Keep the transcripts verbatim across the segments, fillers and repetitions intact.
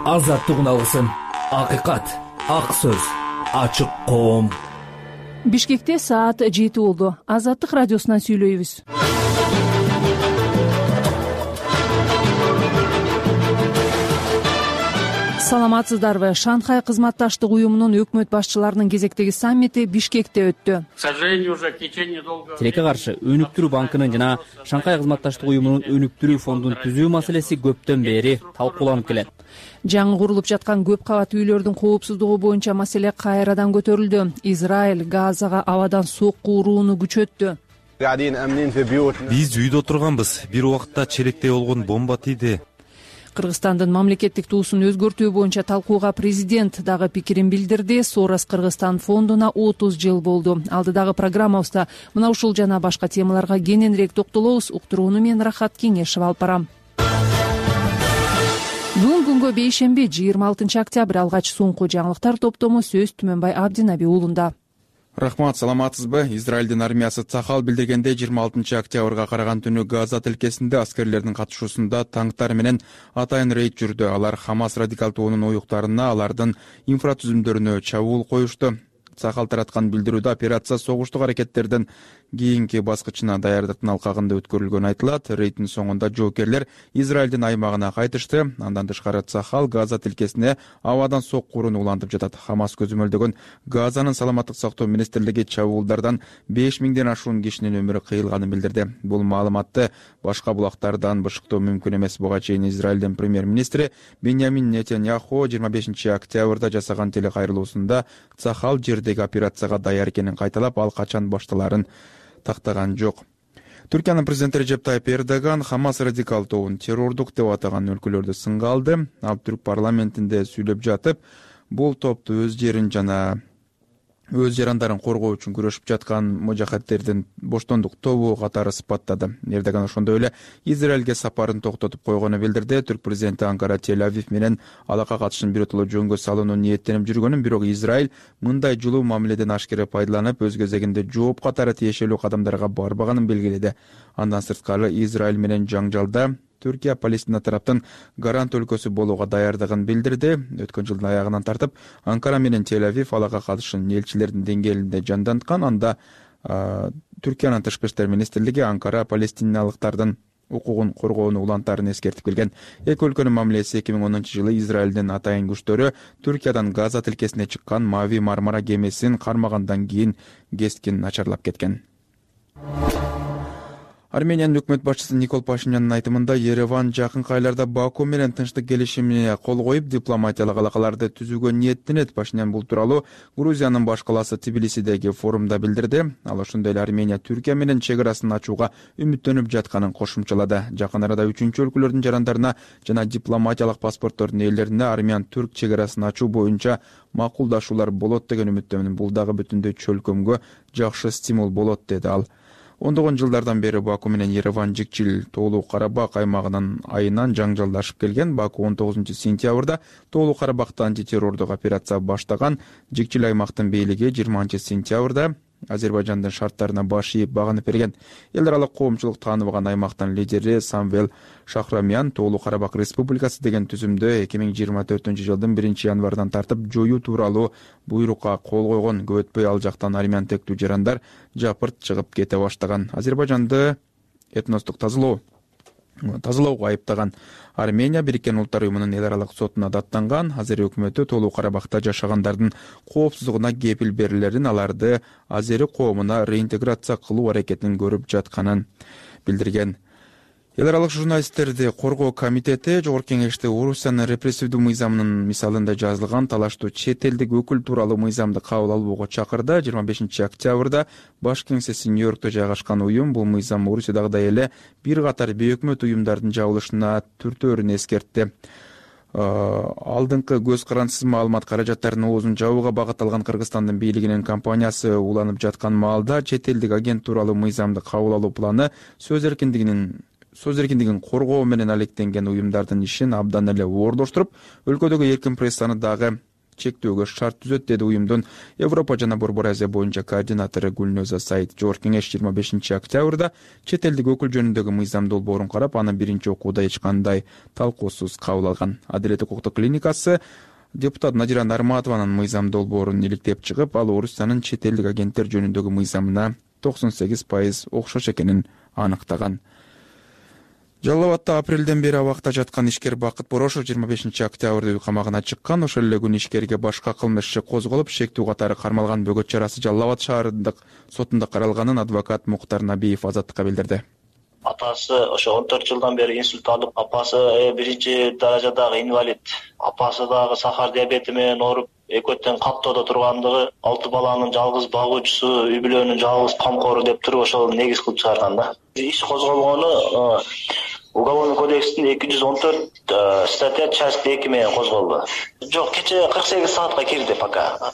азаттыгын алгысың. Акыйкат, ак сөз, ачык коом. Бишкекте саат жети болду. Азаттык радиосунан сүйлөйбүз. Саламатсыздарбы? Шанхай кызматташтык уюмунун өкмөт башчыларынын кезектеги саммити Бишкекте өттү. Тилекке каршы өнүктүрүү банкынын жана Шанхай кызматташтык уюмунун өнүктүрүү фондун түзүү маселеси көптөн бери талкууланып келет. Жаңы курулуп жаткан көп кабат үйлөрдүн коопсуздугу боюнча маселе кайрадан көтөрүлдү. Израиль Газага абадан сокку урууну күчөттү. Биз үйдө отурганбыз. Бир убакта челектей болгон бомба тийди. Кыргызстандын мамлекеттик туусун өзгөртүү боюнча талкууга президент дагы пикирин билдирди. Сорос Кыргызстан фондуна отуз жыл болду. Алдыдагы программабызда мына ушул жана башка темаларга кененирээк токтолобуз. Уктурууну мен Рахат Кеңешев алып барам. Бүгүн күнгө бейшемби жыйырма алтынчы октябрь. Алгач соңку жаңылыктар топтому сөз Түмөнбай Абдинаби уулунда. Рахмат, саламатсызбы? Израилдин армиясы Цахал билдиргендей жыйырма алтынчы октябрга караган түнү Газа тилкесинде аскерлердин катышуусунда танктар менен атайын рейд жүрдү. Алар Хамас радикал тобунун уюктарына, алардын инфратүзүмдөрүнө чабуул коюшту. Цахал тараткан билдирүүдө операция согуштук аракеттерден кийинки баскычына даярдыктын алкагында өткөрүлгөнү айтылат. Рейдтин соңунда жоокерлер Израилдин аймагына кайтышты. Андан тышкары Цахал Газа тилкесине абадан сокку урууну улантып жатат. Хамас көзөмөлдөгөн Газанын саламаттык сактоо министрлиги чабуулдардан беш миңден ашуун кишинин өмүрү кыйылганын билдирди. Бул маалыматты башка булактардан бышыктоо мүмкүн эмес. Буга чейин Израилдин премьер-министри Беньямин Нетаньяху жыйырма бешинчи октябрда жасаган телекайрылуусунда Цахал жердеги операцияга даяр экенин кайталап, ал качан башталарын тактаган жок. Түркиянын президенти Режеп Тайип Эрдоган Хамас радикал тобун террордук деп атаган өлкөлөрдү сынга алды. Ал түрк парламентинде сүйлөп жатып, бул топту өз жерин жана өз жарандарын коргоо үчүн күрөшүп жаткан мужахаттердин боштондук тобу катары сыпаттады. Эрдоган ошондой эле Израилге сапарын токтотуп койгонун билдирди. Түрк президенти Анкара Тель-Авив менен алака катышын биротоло жөнгө салууну ниеттенип жүргөнүн, бирок Израиль мындай жылуу мамиледен ашкере пайдаланып, өз кезегинде жооп катары тиешелүү кадамдарга барбаганын белгиледи. Андан сырткары Израиль менен жаңжалда Түркия Палестина тараптын гарант өлкөсү болууга даярдыгын билдирди. Өткөн жылдын аягынан тартып Анкара менен Тель-Авив алака катышын элчилердин деңгээлинде жанданткан. Анда Түркиянын тышкы иштер министрлиги Анкара палестиналыктардын укугун коргоону улантарын эскертип келген. Эки өлкөнүн мамилеси эки миң онунчу жылы Израилдин атайын күчтөрү Түркиядан Газа тилкесине чыккан Мави Мармара кемесин кармагандан кийин кескин начарлап кеткен. Армениянын өкмөт башчысы Никол Пашинянын айтымында Ереван жакынкы айларда Баку менен тынчтык келишимине кол коюп, дипломатиялык алакаларды түзүүгө ниеттенет. Пашинян бул тууралуу Грузиянын баш калаасы Тбилисидеги форумда билдирди. Ал ошондой эле Армения Түркия менен чек арасын ачууга үмүттөнүп жатканын кошумчалады. Жакын арада үчүнчү өлкөлөрдүн жарандарына жана дипломатиялык паспорттордун ээлерине армян-түрк чек арасын ачуу боюнча макулдашуулар болот деген үмүттөмүн. Бул дагы бүтүндөй чөлкөмгө жакшы стимул болот, деди ал. Ондогон жылдардан бери Баку менен Ереван жикчил Тоолуу Карабак аймагынын айынан жаңжалдашып келген. Баку он тогузунчу сентябрда Тоолуу Карабакта антитеррордук операция баштаган. Жикчил аймактын бийлиги жыйырманчы сентябрда Азербайжандын шарттарына баш ийип багынып берген. Эл аралык коомчулук тааныбаган аймактын лидери Самвел Шахрамян Тоолуу Карабак Республикасы деген түзүмдө эки миң жыйырма төртүнчү жылдын биринчи январынан тартып жоюу тууралуу буйрукка кол койгон. Көп өтпөй ал жактан армян тектүү жарандар жапырт чыгып кете баштаган. Азербайжанды этностук тазалоо тазалоого айыптаган Армения Бириккен Улуттар уюмунун эл аралык сотуна даттанган. Азер өкмөтү Тоолуу Карабакта жашагандардын коопсуздугуна кепил берилерин, аларды азери коомуна реинтеграция кылуу аракетин көрүп жатканын билдирген. Эл аралык журналисттерди коргоо комитети Жогорку Кеңеште Орусиянын репрессивдүү мыйзамынын мисалында жазылган талаштуу чет элдик өкүл тууралуу мыйзамды кабыл алууга чакырды. жыйырма бешинчи октябрда баш кеңсеси Нью-Йоркто жайгашкан уюм бул мыйзам Орусиядагыдай эле бир катар бейөкмөт уюмдардын жабылышына түртөөрүн эскертти. Алдыңкы көз карансыз маалымат каражаттарынын оозун жабууга багытталган Кыргызстандын бийлигинин компаниясы уланып жаткан маалда чет элдик агент тууралуу мыйзамды кабыл алуу планы сөз эркиндигинин сөз эркиндигин коргоо менен алектенген уюмдардын ишин абдан эле оорлоштуруп, өлкөдөгү эркин прессаны дагы чектөөгө шарт түзөт, деди уюмдун Европа жана Борбор Азия боюнча координатору Гүлноза Саид. Жогорку кеңеш жыйырма бешинчи октябрда чет элдик өкүл жөнүндөгү мыйзам долбоорун карап, аны биринчи окууда эч кандай талкуусуз кабыл алган. Адилеттик укуктук клиникасы депутат Надира Нарматованын мыйзам долбоорун иликтеп чыгып, ал Орусиянын чет элдик агенттер жөнүндөгү мыйзамына токсон сегиз пайыз окшош экенин аныктаган. Жалал Абадта апрелден бери абакта жаткан ишкер Бакыт Борошов жыйырма бешинчи октябрда үй камагына чыккан. Ошол эле күнү ишкерге башка кылмыш иши козголуп, шектүү катары кармалган бөгөт чарасы Жалал Абад шаарындык сотунда каралганын адвокат Муктар Набиев Азаттыкка билдирди. Атасы ошо он төрт жылдан бери инсульт алып, апасы биринчи даражадагы инвалид, апасы дагы сахар диабети менен ооруп, экөөтөн каттоодо тургандыгы, алты баланын жалгыз багуучусу, үй бүлөнүн жалгыз камкору деп туруп ошол негиз кылып чыгарган да. Иш козголгону Уголовный кодекстин эки жүз он төрт статья часть эки менен козголду. Жок, кече кырк сегиз саатка кирди пока.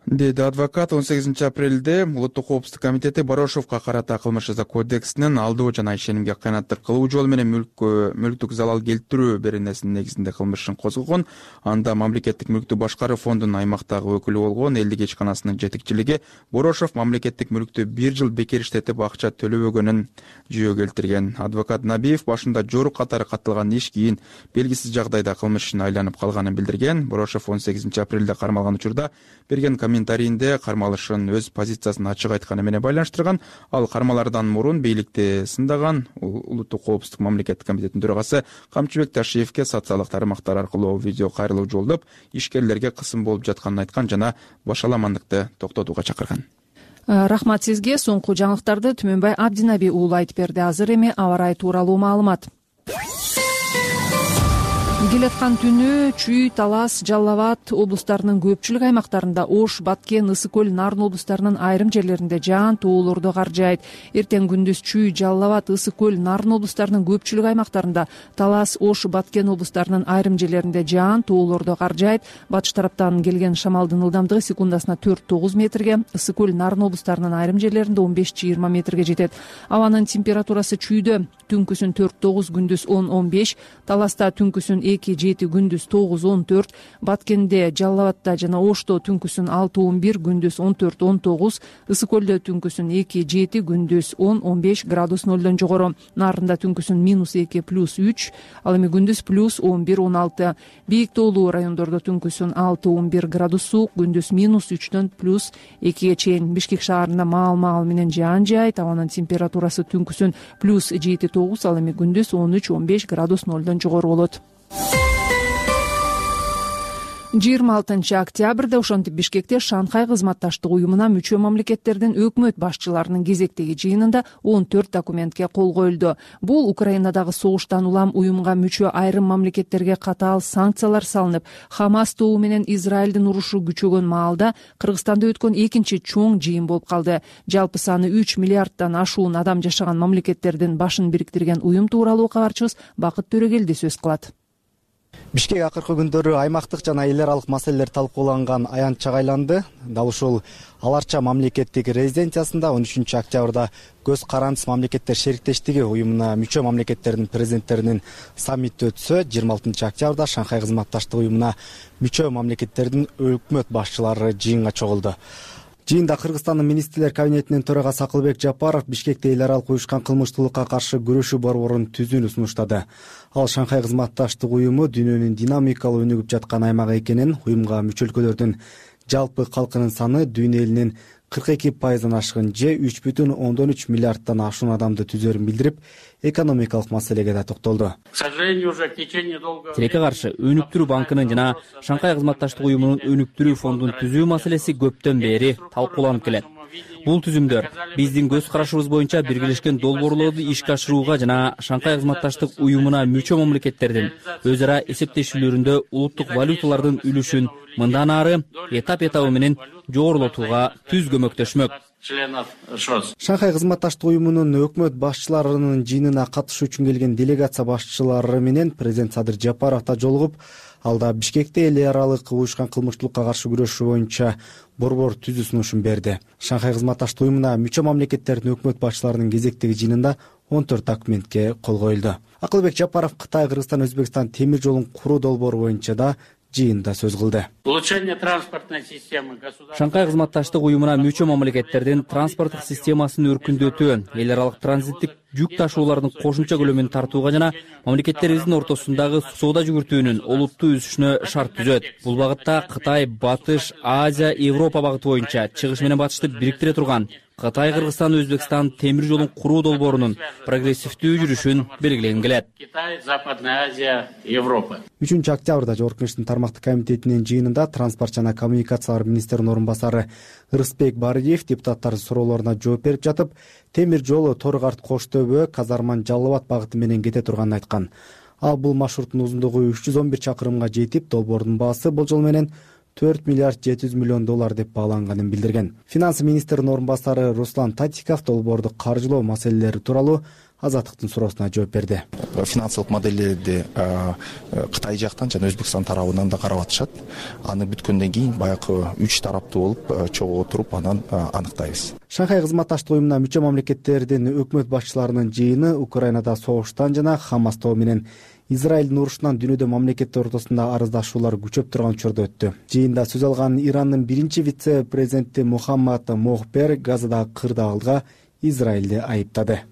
Деди адвокат. он сегизинчи апрелде Улуттук коопсуздук комитети Борошовго карата кылмыш жаза кодексинин алдоо жана ишенимге кыянаттык кылуу жолу менен мүлккө мүлктүк залал келтирүү беренесинин негизинде кылмышын козгогон. Анда мамлекеттик мүлктү башкаруу фондунун аймактагы өкүлү болгон элдик ишканасынын жетекчилиги Борошов мамлекеттик мүлктү бир жыл бекер иштетип акча төлөбөгөнүн жүйө келтирген. Адвокат Набиев башында жорук катары катталган иш кийин белгисиз жагдайда кылмыш ишине айланып калганын билдирген. Борошов он сегизинчи апрелде кармалган учурда берген комментарийинде кармалышын өз позициясын ачык айтканы менен байланыштырган. Ал кармалардан мурун бийликти сындаган. Улуттук коопсуздук мамлекеттик комитетинин төрагасы Камчыбек Ташиевке социалдык тармактар аркылуу видео кайрылуу жолдоп, ишкерлерге кысым болуп жатканын айткан жана башаламандыкты токтотууга чакырган. Рахмат сизге. Соңку жаңылыктарды Түмөнбай Абдинаби уулу айтып берди. Азыр эми аба ырайы тууралуу маалымат. Келаткан түнү Чүй, Талас, Жалал Абад облустарынын көпчүлүк аймактарында, Ош, Баткен, Ысык көл, Нарын облустарынын айрым жерлеринде жаан тоолорду каржайт. Эртең күндүз Чүй, Жалал Абад, Ысык көл, Нарын облустарынын көпчүлүк аймактарында, Талас, Ош, Баткен облустарынын айрым жерлеринде жаан тоолорду каржайт. Батыш тараптан келген шамалдын ылдамдыгы секундасына төрт тогуз метрге, Ысык көл, Нарын облустарынын айрым жерлеринде он беш жыйырма метрге жетет. Абанын температурасы Чүйдө түнкүсүн төрт тогуз, күндүз он он беш, Таласта түнкүсүн эки жети, күндүз тогуз он төрт, Баткенде, Жалал Абадта жана Ошто түнкүсүн алты он бир, күндүз он төрт он тогуз, Ысык көлдө түнкүсүн эки жети, күндүз он он беш градус нолдон жогору. Нарында түнкүсүн минус эки плюс үч, ал эми күндүз плюс он бир он алты. Бийик тоолуу райондордо түнкүсүн алты он бир градус суук, күндүз минус үчтөн плюс экиге чейин. Бишкек шаарында маал-маал менен жаан жаайт. Абанын температурасы түнкүсүн плюс жети тогуз, ал эми күндүз он үч он беш градус нолдон жогору болот. жыйырма алтынчы октябрда ошентип Бишкекте Шанхай кызматташтык уюмуна мүчө мамлекеттердин өкмөт башчыларынын кезектеги жыйынында он төрт документке кол коюлду. Бул Украинадагы согуштан улам уюмга мүчө айрым мамлекеттерге катаал санкциялар салынып, Хамас тобу менен Израилдин урушу күчөгөн маалда Кыргызстанда өткөн экинчи чоң жыйын болуп калды. Жалпы саны үч миллиарддан ашуун адам жашаган мамлекеттердин башын бириктирген уюм тууралуу кабарчыбыз Бакыт Төрөгелди сөз кылат. Бишкек акыркы күндөрү аймактык жана эл аралык маселелер талкууланган аянтчага айланды. Дал ушул Аларча мамлекеттик резиденциясында он үчүнчү октябрда көз карандыс мамлекеттер шериктештиги уюмуна мүчө мамлекеттердин президенттеринин саммити өтсө, жыйырма алтынчы октябрда Шанхай кызматташтык уюмуна мүчө мамлекеттердин өкмөт башчылары жыйынга чогулду. Жыйында Кыргызстандын министрлер кабинетинин төрагасы Акылбек Жапаров Бишкекте эл аралык уюшкан кылмыштуулукка каршы күрөшүү борборун түзүүнү сунуштады. Ал Шанхай кызматташтык уюму дүйнөнүн динамикалуу өнүгүп жаткан аймагы экенин, уюмга мүчө өлкөлөрдүн жалпы калкынын саны дүйнө элинин кырк эки пайыздан ашкан же үч бүтүн ондон үч миллиарддан ашуун адамды түзөрүн билдирип, экономикалык маселеге да токтолду. Тилекке каршы өнүктүрүү банкынын жана Шанхай кызматташтык уюмунун өнүктүрүү фондун түзүү маселеси көптөн бери талкууланып келет. Бул түзүмдөр биздин көз карашыбыз боюнча биргелешкен долбоорлорду ишке ашырууга жана Шанхай кызматташтык уюмуна мүчө мамлекеттердин өз ара эсептешүүлөрүндө улуттук валюталардын үлүшүн мындан ары этап этабы менен жогорулатууга түз көмөктөшмөк. Шанхай кызматташтык уюмунун өкмөт башчыларынын жыйынына катышуу үчүн келген делегация башчылары менен президент Садыр Жапаров да жолугуп, алда Бишкекте эл аралык уюшкан кылмыштуулукка каршы күрөшүү боюнча борбор түзүү сунушун берди. Шанхай кызматташтык уюмуна мүчө мамлекеттердин өкмөт башчыларынын кезектеги жыйынында он төрт документке кол коюлду. Акылбек Жапаров Кытай, Кыргызстан, Өзбекстан темир жолун куруу долбоору боюнча да жыйында сөз кылды. улучшение транспортной системы государства. Шанхай кызматташтык уюмуна мүчө мамлекеттердин транспорттук системасын өркүндөтүү, эл аралык транзиттик жүк ташуулардын кошумча көлөмүн тартууга жана мамлекеттерибиздин ортосундагы соода жүгүртүүнүн олуттуу өсүшүнө шарт түзөт. Бул багытта Кытай, Батыш, Азия, Европа багыты боюнча чыгыш менен батышты бириктире турган Кытай, Кыргызстан, Өзбекстан темир жолун куруу долбоорунун прогрессивдүү жүрүшүн белгилегим келет. Китай, Западная Азия, Европа. үчүнчү октябрда Жогорку Кеңештин тармактык комитетинин жыйынында транспорт жана коммуникациялар министринин орун басары Ырысбек Бариев депутаттардын суроолоруна жооп берип жатып, темир жолу Торгарт Коштөбө, Казарман Жалал Абад багыты менен кете турганын айткан. Ал бул маршруттун узундугу үч жүз он бир чакырымга жетип, долбоордун баасы болжол менен төрт миллиард жети жүз миллион доллар деп бааланганын билдирген. Финансы министринин орун басары Руслан Татиков долбоорду каржылоо маселелери тууралуу Азаттыктын суроосуна жооп берди. Финансылык моделдерди Кытай жактан жана Өзбекстан тарабынан да карап атышат. Аны бүткөндөн кийин баягы үч тараптуу болуп чогуу отуруп анан аныктайбыз. Шанхай кызматташтык уюмуна мүчө мамлекеттердин өкмөт башчыларынын жыйыны Украинада согуштан жана Хамас тобу менен Израилдин урушунан дүйнөдө мамлекеттер ортосунда арыздашуулар күчөп турган учурда өттү. Жыйында сөз алган Ирандын биринчи вице-президенти Мухаммад Мохбер Газадагы кырдаалга Израилди айыптады.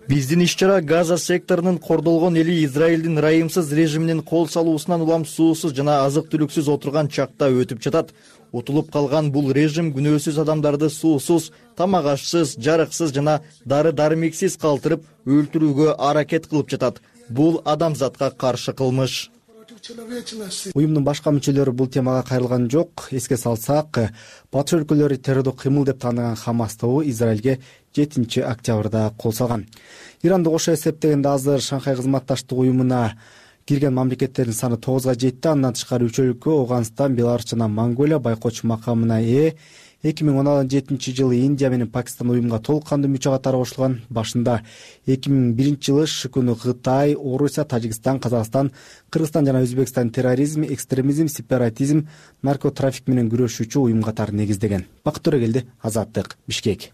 Биздин иш-чара Газа секторунун кордолгон эли Израилдин ырайымсыз режиминин кол салуусунан улам суусуз жана азык-түлүксүз отурган чакта өтүп жатат. Утулуп калган бул режим күнөөсүз адамдарды суусуз, тамак ашсыз, жарыксыз жана дары-дармексиз калтырып өлтүрүүгө аракет кылып жатат. Бул адамзатка каршы кылмыш. Уюмдун башка мүчөлөрү бул темага кайрылган жок. Эске салсак, батыш өлкөлөрү террордук кыймыл деп тааныган Хамас тобу Израилге жетинчи октябрда кол салган. Иранды кошо эсептегенде азыр Шанхай кызматташтык уюмуна кирген мамлекеттердин саны тогузга жетти. Андан тышкары үч өлкө Ауганстан, Беларусь жана Монголия байкоочу макамына ээ. эки миң он жетинчи жылы Индия менен Пакистан уюмга толук кандуу мүчө катары кошулган. Башында эки миң биринчи жылы шыкуну Кытай, Орусия, Тажикстан, Казакстан, Кыргызстан жана Өзбекстан терроризм, экстремизм, сепаратизм, наркотрафик менен күрөшүүчү уюм катары негиздеген. Бакыт Төрөгелди, Азаттык, Бишкек.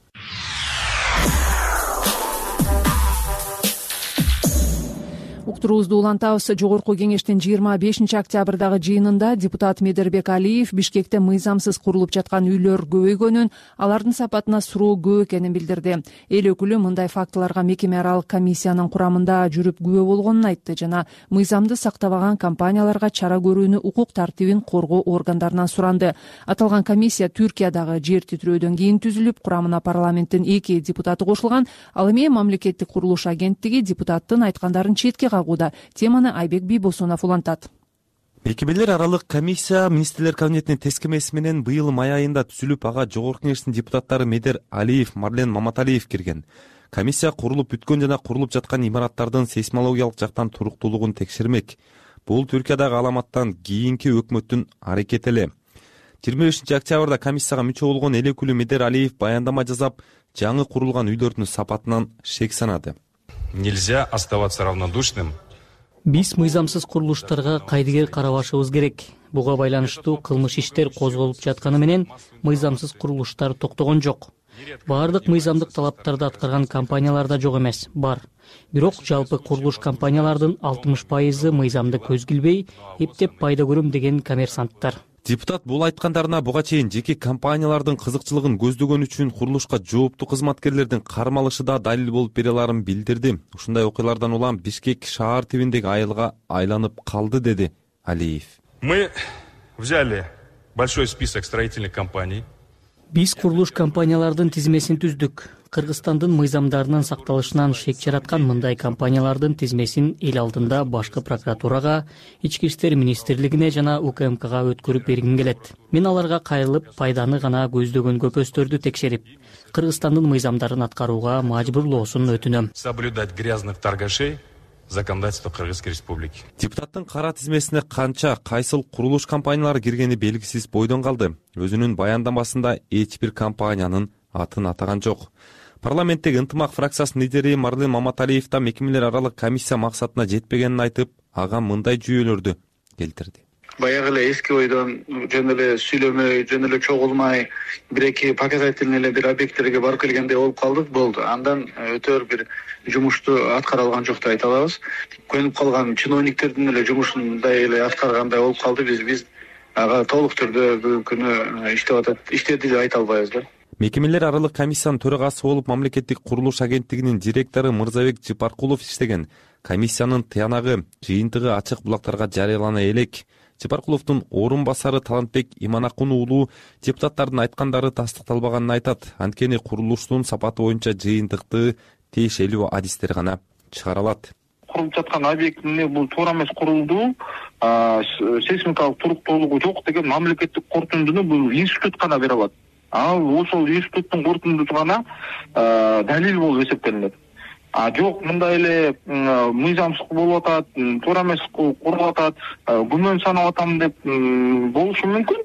Уктуруубузду улантабыз. Жогорку Кеңештин жыйырма бешинчи октябрдагы жыйынында депутат Медербек Алиев Бишкекте мыйзамсыз курулуп жаткан үйлөр көбөйгөнүн, алардын сапатына суроо көп экенин билдирди. Эл өкүлү мындай фактыларга мекеме аралык комиссиянын курамында жүрүп күбө болгонун айтты жана мыйзамды сактабаган компанияларга чара көрүүнү укук тартибин коргоо органдарынан суранды. Аталган комиссия Түркиядагы жер титирөөдөн кийин түзүлүп, курамына парламенттин эки депутаты кошулган. Ал эми мамлекеттик курулуш агенттиги депутаттын айткандарын четке кагууда. Теманы Айбек Бийбосунов улантат. Мекемелер аралык комиссия министрлер кабинетинин тескемеси менен быйыл май айында түзүлүп, ага Жогорку Кеңештин депутаттары Медер Алиев, Марлен Маматалиев кирген. Комиссия курулуп бүткөн жана курулуп жаткан имараттардын сейсмологиялык жактан туруктуулугун текшермек. Бул Түркиядагы аламаттан кийинки өкмөттүн аракети эле. жыйырма бешинчи октябрда комиссияга мүчө болгон эл өкүлү Медер Алиев баяндама жасап, жаңы курулган үйлөрдүн сапатынан шек санады. Нельзя оставаться равнодушным. Биз мыйзамсыз курулуштарга кайдыгер карабашыбыз керек. Буга байланыштуу кылмыш иштер козголуп жатканы менен мыйзамсыз курулуштар токтогон жок. Баардык мыйзамдык талаптарды аткарган компаниялар да жок эмес, бар. Бирок жалпы курулуш компаниялардын алтымыш пайызы мыйзамды көз килбей, эптеп пайда көрөм деген коммерсанттар. Депутат бул айткандарына буга чейин жеке компаниялардын кызыкчылыгын көздөгөн үчүн курулушка жооптуу кызматкерлердин кармалышы да далил болуп бере аларын билдирди. Ушундай окуялардан улам Бишкек шаар тибиндеги айылга айланып калды, деди Алиев. Мы взяли большой список строительных компаний. Биз курулуш компаниялардын тизмесин түздүк. Кыргызстандын мыйзамдарынын сакталышынан шек жараткан мындай компаниялардын тизмесин эл алдында башкы прокуратурага, Ички иштер министрлигине жана У К М Кга өткөрүп бергим келет. Мен аларга кайрылып, пайданы гана көздөгөн көпөстөрдү текшерип, Кыргызстандын мыйзамдарын аткарууга мажбурлоосун өтүнөм. Соблюдать грязных торгашей законодательство Кыргызской республики. Депутаттын кара тизмесине канча, кайсыл курулуш компаниялары киргени белгисиз бойдон калды. Өзүнүн баяндамасында эч бир компаниянын атын атаган жок. Парламенттеги ынтымак фракциясынын лидери Марлен Маматалиев да мекемелер аралык комиссия максатына жетпегенин айтып, ага мындай жүйөлөрдү келтирди. Баягы эле эски ойдон жөн эле сүйлөмөй, жөн эле чогулмай, бир-эки показательный эле бир объекттерге барып келгендей болуп калдык, болду. Андан өтөр бир жумушту аткара алган жок деп айта алабыз. Көнүп калган чиновниктердин эле жумушундай эле аткаргандай болуп калды. Биз биз ага толук түрдө бүгүнкү күнү иштеп атат, иштеди деп айта албайбыз да. Мекемелер аралык комиссиянын төрагасы болуп мамлекеттик курулуш агенттигинин директору Мырзабек Жыпаркулов иштеген. Комиссиянын тыянагы, жыйынтыгы ачык булактарга жарыялана элек. Жыпаркуловдун орун басары Талантбек Иманакун уулу депутаттардын айткандары тастыкталбаганын айтат. Анткени курулуштун сапаты боюнча жыйынтыкты тиешелүү адистер гана чыгара алат. Курулуп жаткан объектине бул туура эмес курулду, сейсмикалык туруктуулугу жок деген мамлекеттик корутундуну бул институт гана бере алат. Ал ошол институттун корутундусу гана далил болуп эсептелинет. А жок, мындай эле мыйзамсыз болуп атат, туура эмес курулуп атат, күмөн санап атам деп болушу мүмкүн.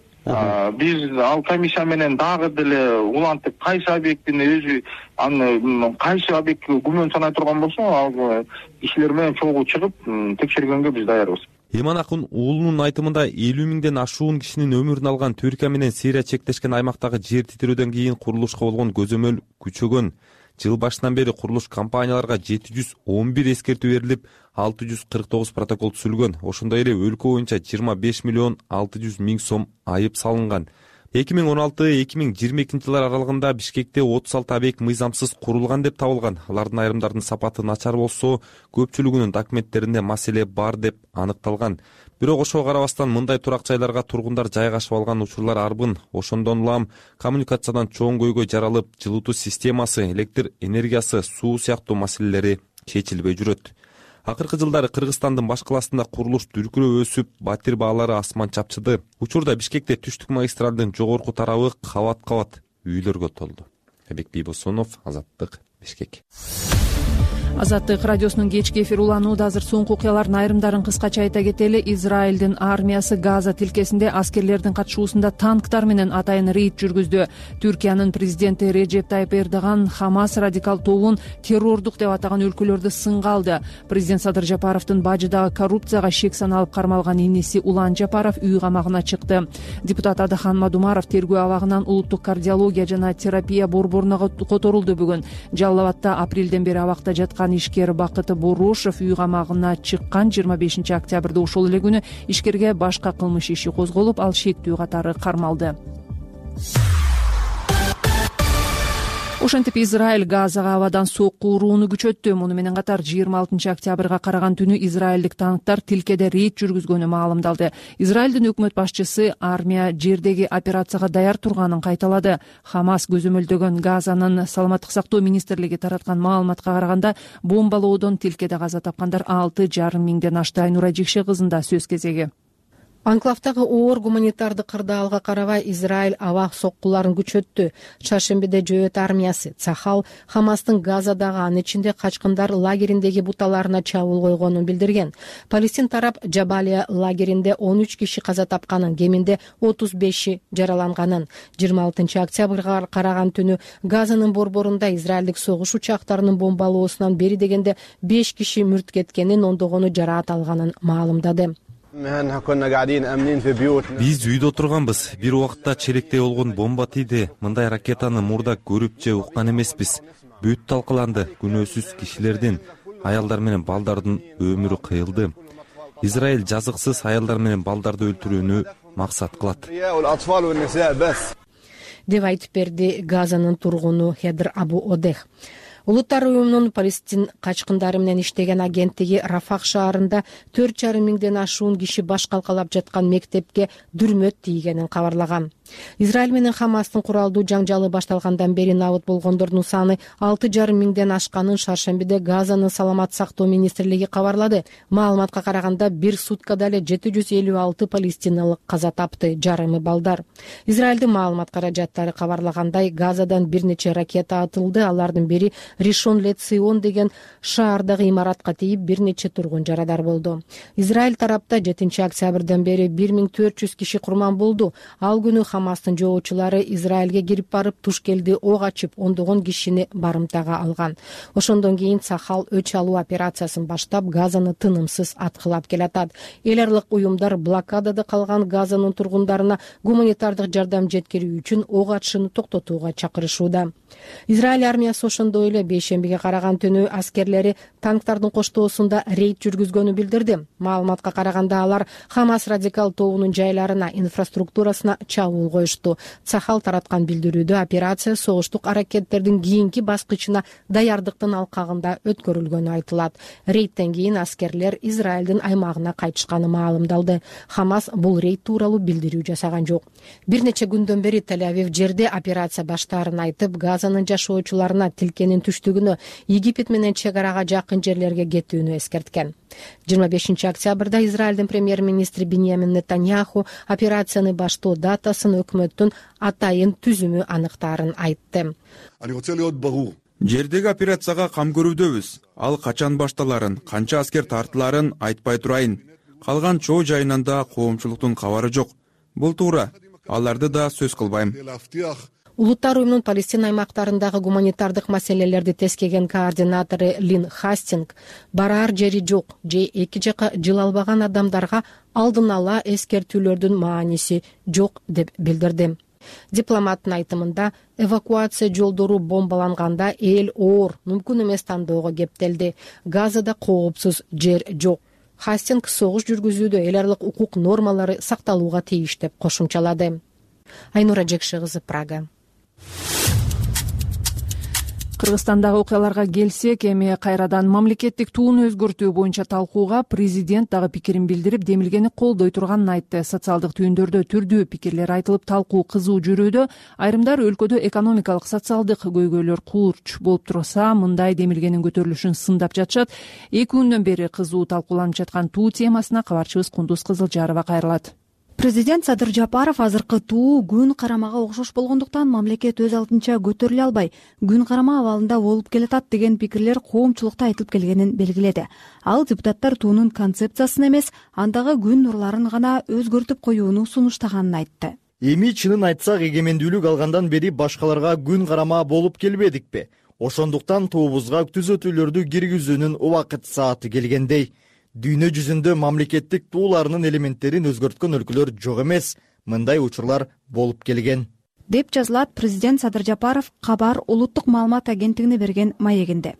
Биз ал комиссия менен дагы деле улантып, кайсы объектини өзү аны кайсы объектке күмөн санай турган болсо, ал кишилер менен чогуу чыгып текшергенге биз даярбыз. Иманакун уулунун айтымында элүү миңден ашуун кишинин өмүрүн алган Түркия менен Сирия чектешкен аймактагы жер титирөөдөн кийин курулушка болгон көзөмөл күчөгөн. Жыл башынан бери курулуш компанияларга жети жүз он бир эскертүү берилип, алты жүз кырк тогуз протокол түзүлгөн. Ошондой эле өлкө боюнча жыйырма беш миллион алты жүз миң сом айып салынган. эки миң он алты эки миң жыйырма экинчи жылдар аралыгында Бишкекте отуз алты объект мыйзамсыз курулган деп табылган. Алардын айрымдарынын сапаты начар болсо, көпчүлүгүнүн документтеринде маселе бар деп аныкталган. Бирок ошого карабастан мындай турак жайларга тургундар жайгашып алган учурлар арбын. Ошондон улам коммуникациядан чоң көйгөй жаралып, жылытуу системасы, электр энергиясы, суу сыяктуу маселелери чечилбей жүрөт. Акыркы жылдары Кыргызстандын баш каласында курулуш дүркүрөө өсүп, батир баалары асман чапчыды. Учурда Бишкекте түштүк магистралдын жогорку тарабы кабат-кабат үйлөргө толду. Эбек Бийбосунов, Азаттык, Бишкек. Азаттык радиосунун кечки эфир уланууда азыр соңку окуялардын айрымдарын кыскача айта кетели. Израилдин армиясы Газа тилкесинде аскерлердин катышуусунда танктар менен атайын рейд жүргүздү. Түркиянын президенти Реджеп Тайып Эрдоган Хамас радикал тобун террордук деп атаган өлкөлөрдү сынга алды. Президент Садыр Жапаровдун бажыдагы коррупцияга шек саналып кармалган иниси Улан Жапаров үй камагына чыкты. Депутат Адахан Мадумаров тергөө абагынан улуттук кардиология жана терапия борборуна которулду бүгүн. Жалал Абадта апрелден бери абакта жаткан ишкер Бакыт Борушев үй камагына чыккан жыйырма бешинчи октябрда ошол эле күнү ишкерге башка кылмыш иши козголуп, ал шектүү катары кармалды. Ошентип Израиль Газага абадан сокку урууну күчөттү. Муну менен катар жыйырма алтынчы октябрга караган түнү израилдик танктар тилкеде рейд жүргүзгөнү маалымдалды. Израилдин өкмөт башчысы армия жердеги операцияга даяр турганын кайталады. Хамас көзөмөлдөгөн Газанын саламаттык сактоо министрлиги тараткан маалыматка караганда, бомбалоодон тилкеде каза тапкандар алты жарым миңден ашты. Айнура Жикше кызында сөз кезеги. Анклавдагы оор гуманитардык кырдаалга карабай Израиль аба соккуларын күчөттү. Чаршембиде Жөөт армиясы Цахал Хамастын Газадагы, анын ичинде качкындар лагериндеги буталарына чабуул койгонун билдирген. Палестин тарап Жабалия лагеринде он үч киши каза тапканын, кеминде отуз беши жараланганын. жыйырма алтынчы октябрга караган түнү Газанын борборунда израилдик согуш учактарынын бомбалоосунан бери дегенде беш киши мүрт кеткенин, ондогону жараат алганын маалымдады. Биз үйдө отурганбыз. Бир убакта черектей болгон бомба тийди. Мындай ракетаны мурда көрүп же уккан эмеспиз. Бүт талкаланды. Күнөөсүз кишилердин, аялдар менен балдардын өмүрү кыйылды. Израиль жазыксыз аялдар менен балдарды өлтүрүүнү максат кылат деп айтып берди Газанын тургуну Хедр Абу Одех. Улуттар уюмунун Палестин качкындары менен иштеген агенттиги Рафах шаарында төрт жарым миңден ашуун киши баш калкалап жаткан мектепке дүрмөт тийгенин кабарлаган. Израиль менен Хамастын куралдуу жаңжалы башталгандан бери набыт болгондордун саны алты жарым миңден ашканын Шаршембиде Газанын саламат сактоо министрлиги кабарлады. Маалыматка караганда бир суткада эле жети жүз элүү алты палестиналык каза тапты, жарымы балдар. Израилдин маалымат каражаттары кабарлагандай, Газадан бир нече ракета атылды. Алардын бири Ришон Ле-Цион деген шаардагы имаратка тийип, бир нече тургун жарадар болду. Израиль тарапта жетинчи октябрдан бери бир миң төрт жүз киши курман болду. Ал күнү Хамастын жоочулары Израилге кирип барып, Тушкелди ок ачып, ондогон кишини барымтага алган. Ошондон кийин Цахал өч алуу операциясын баштап, Газаны тынымсыз аткылап келатат. Эл аралык уюмдар блокадада калган Газанын тургундарына гуманитардык жардам жеткирүү үчүн ок атышууну токтотууга чакырышууда. Израиль армиясы ошондой эле бейшембиге караган түнү аскерлери танктардын коштоосунда рейд жүргүзгөнү билдирди. Маалыматка караганда алар Хамас радикал тобунун жайларына, инфраструктурасына чабуул коюшту. Цахал тараткан билдирүүдө операция согуштук аракеттердин кийинки баскычына даярдыктын алкагында өткөрүлгөнү айтылат. Рейдтен кийин аскерлер Израилдин аймагына кайтышканы маалымдалды. Хамас бул рейд тууралуу билдирүү жасаган жок. Бир нече күндөн бери Тель-Авив жерде операция баштаарын айтып, Газанын жашоочуларына тилкенин түштүгүнө, Египет менен чек арага жакын жерлерге кетүүнү эскерткен. жыйырма бешинчи октябрда Израилдин премьер-министри Биньямин Нетаньяху операцияны баштоо датасын өкмөттүн атайын түзүмү аныктаарын айтты. Жердеги операцияга кам көрүүдөбүз. Ал качан башталарын, канча аскер тартыларын айтпай турайын. Калган чоо жайынан да коомчулуктун кабары жок. Бул туура. Аларды да сөз кылбайм. Улуттар уюмунун Палестина аймактарындагы гуманитардык маселелерди тескеген координатору Лин Хастинг бараар жери жок же эки жака жыл албаган адамдарга алдын ала эскертүүлөрдүн мааниси жок деп билдирди. Дипломаттын айтымында, эвакуация жолдору бомбаланганда эл оор, мүмкүн эмес тандоого кептелди. Газада коопсуз жер жок. Хастинг согуш жүргүзүүдө эл аралык укук нормалары сакталууга тийиш деп кошумчалады. Айнура Жекши кызы, Прага. Кыргызстандагы окуяларга келсек, эми кайрадан мамлекеттик тууну өзгөртүү боюнча талкууга президент дагы пикирин билдирип, демилгени колдой турганын айтты. Социалдык түйүндөрдө түрдүү пикирлер айтылып, талкуу кызуу жүрүүдө. Айрымдар өлкөдө экономикалык, социалдык көйгөйлөр курч болуп турса, мындай демилгенин көтөрүлүшүн сындап жатышат. Эки күндөн бери кызуу талкууланып жаткан туу темасына кабарчыбыз Кундуз Кызылжарова кайрылат. Президент Садыр Жапаров азыркы туу күн карамага окшош болгондуктан мамлекет өз алдынча көтөрүлө албай, күн карама абалында болуп келатат деген пикирлер коомчулукта айтылып келгенин белгиледи. Ал депутаттар туунун концепциясын эмес, андагы күн нурларын гана өзгөртүп коюуну сунуштаганын айтты. Эми чынын айтсак, эгемендүүлүк алгандан бери башкаларга күн карама болуп келбедикпи? Ошондуктан туубузга түзөтүүлөрдү киргизүүнүн убакыт сааты келгендей. Дүйнө жүзүндө мамлекеттик тууларынын элементтерин өзгөрткөн өлкөлөр жок эмес, мындай учурлар болуп келген. Деп жазылат президент Садыр Жапаров Кабар улуттук маалымат агенттигине берген маегинде.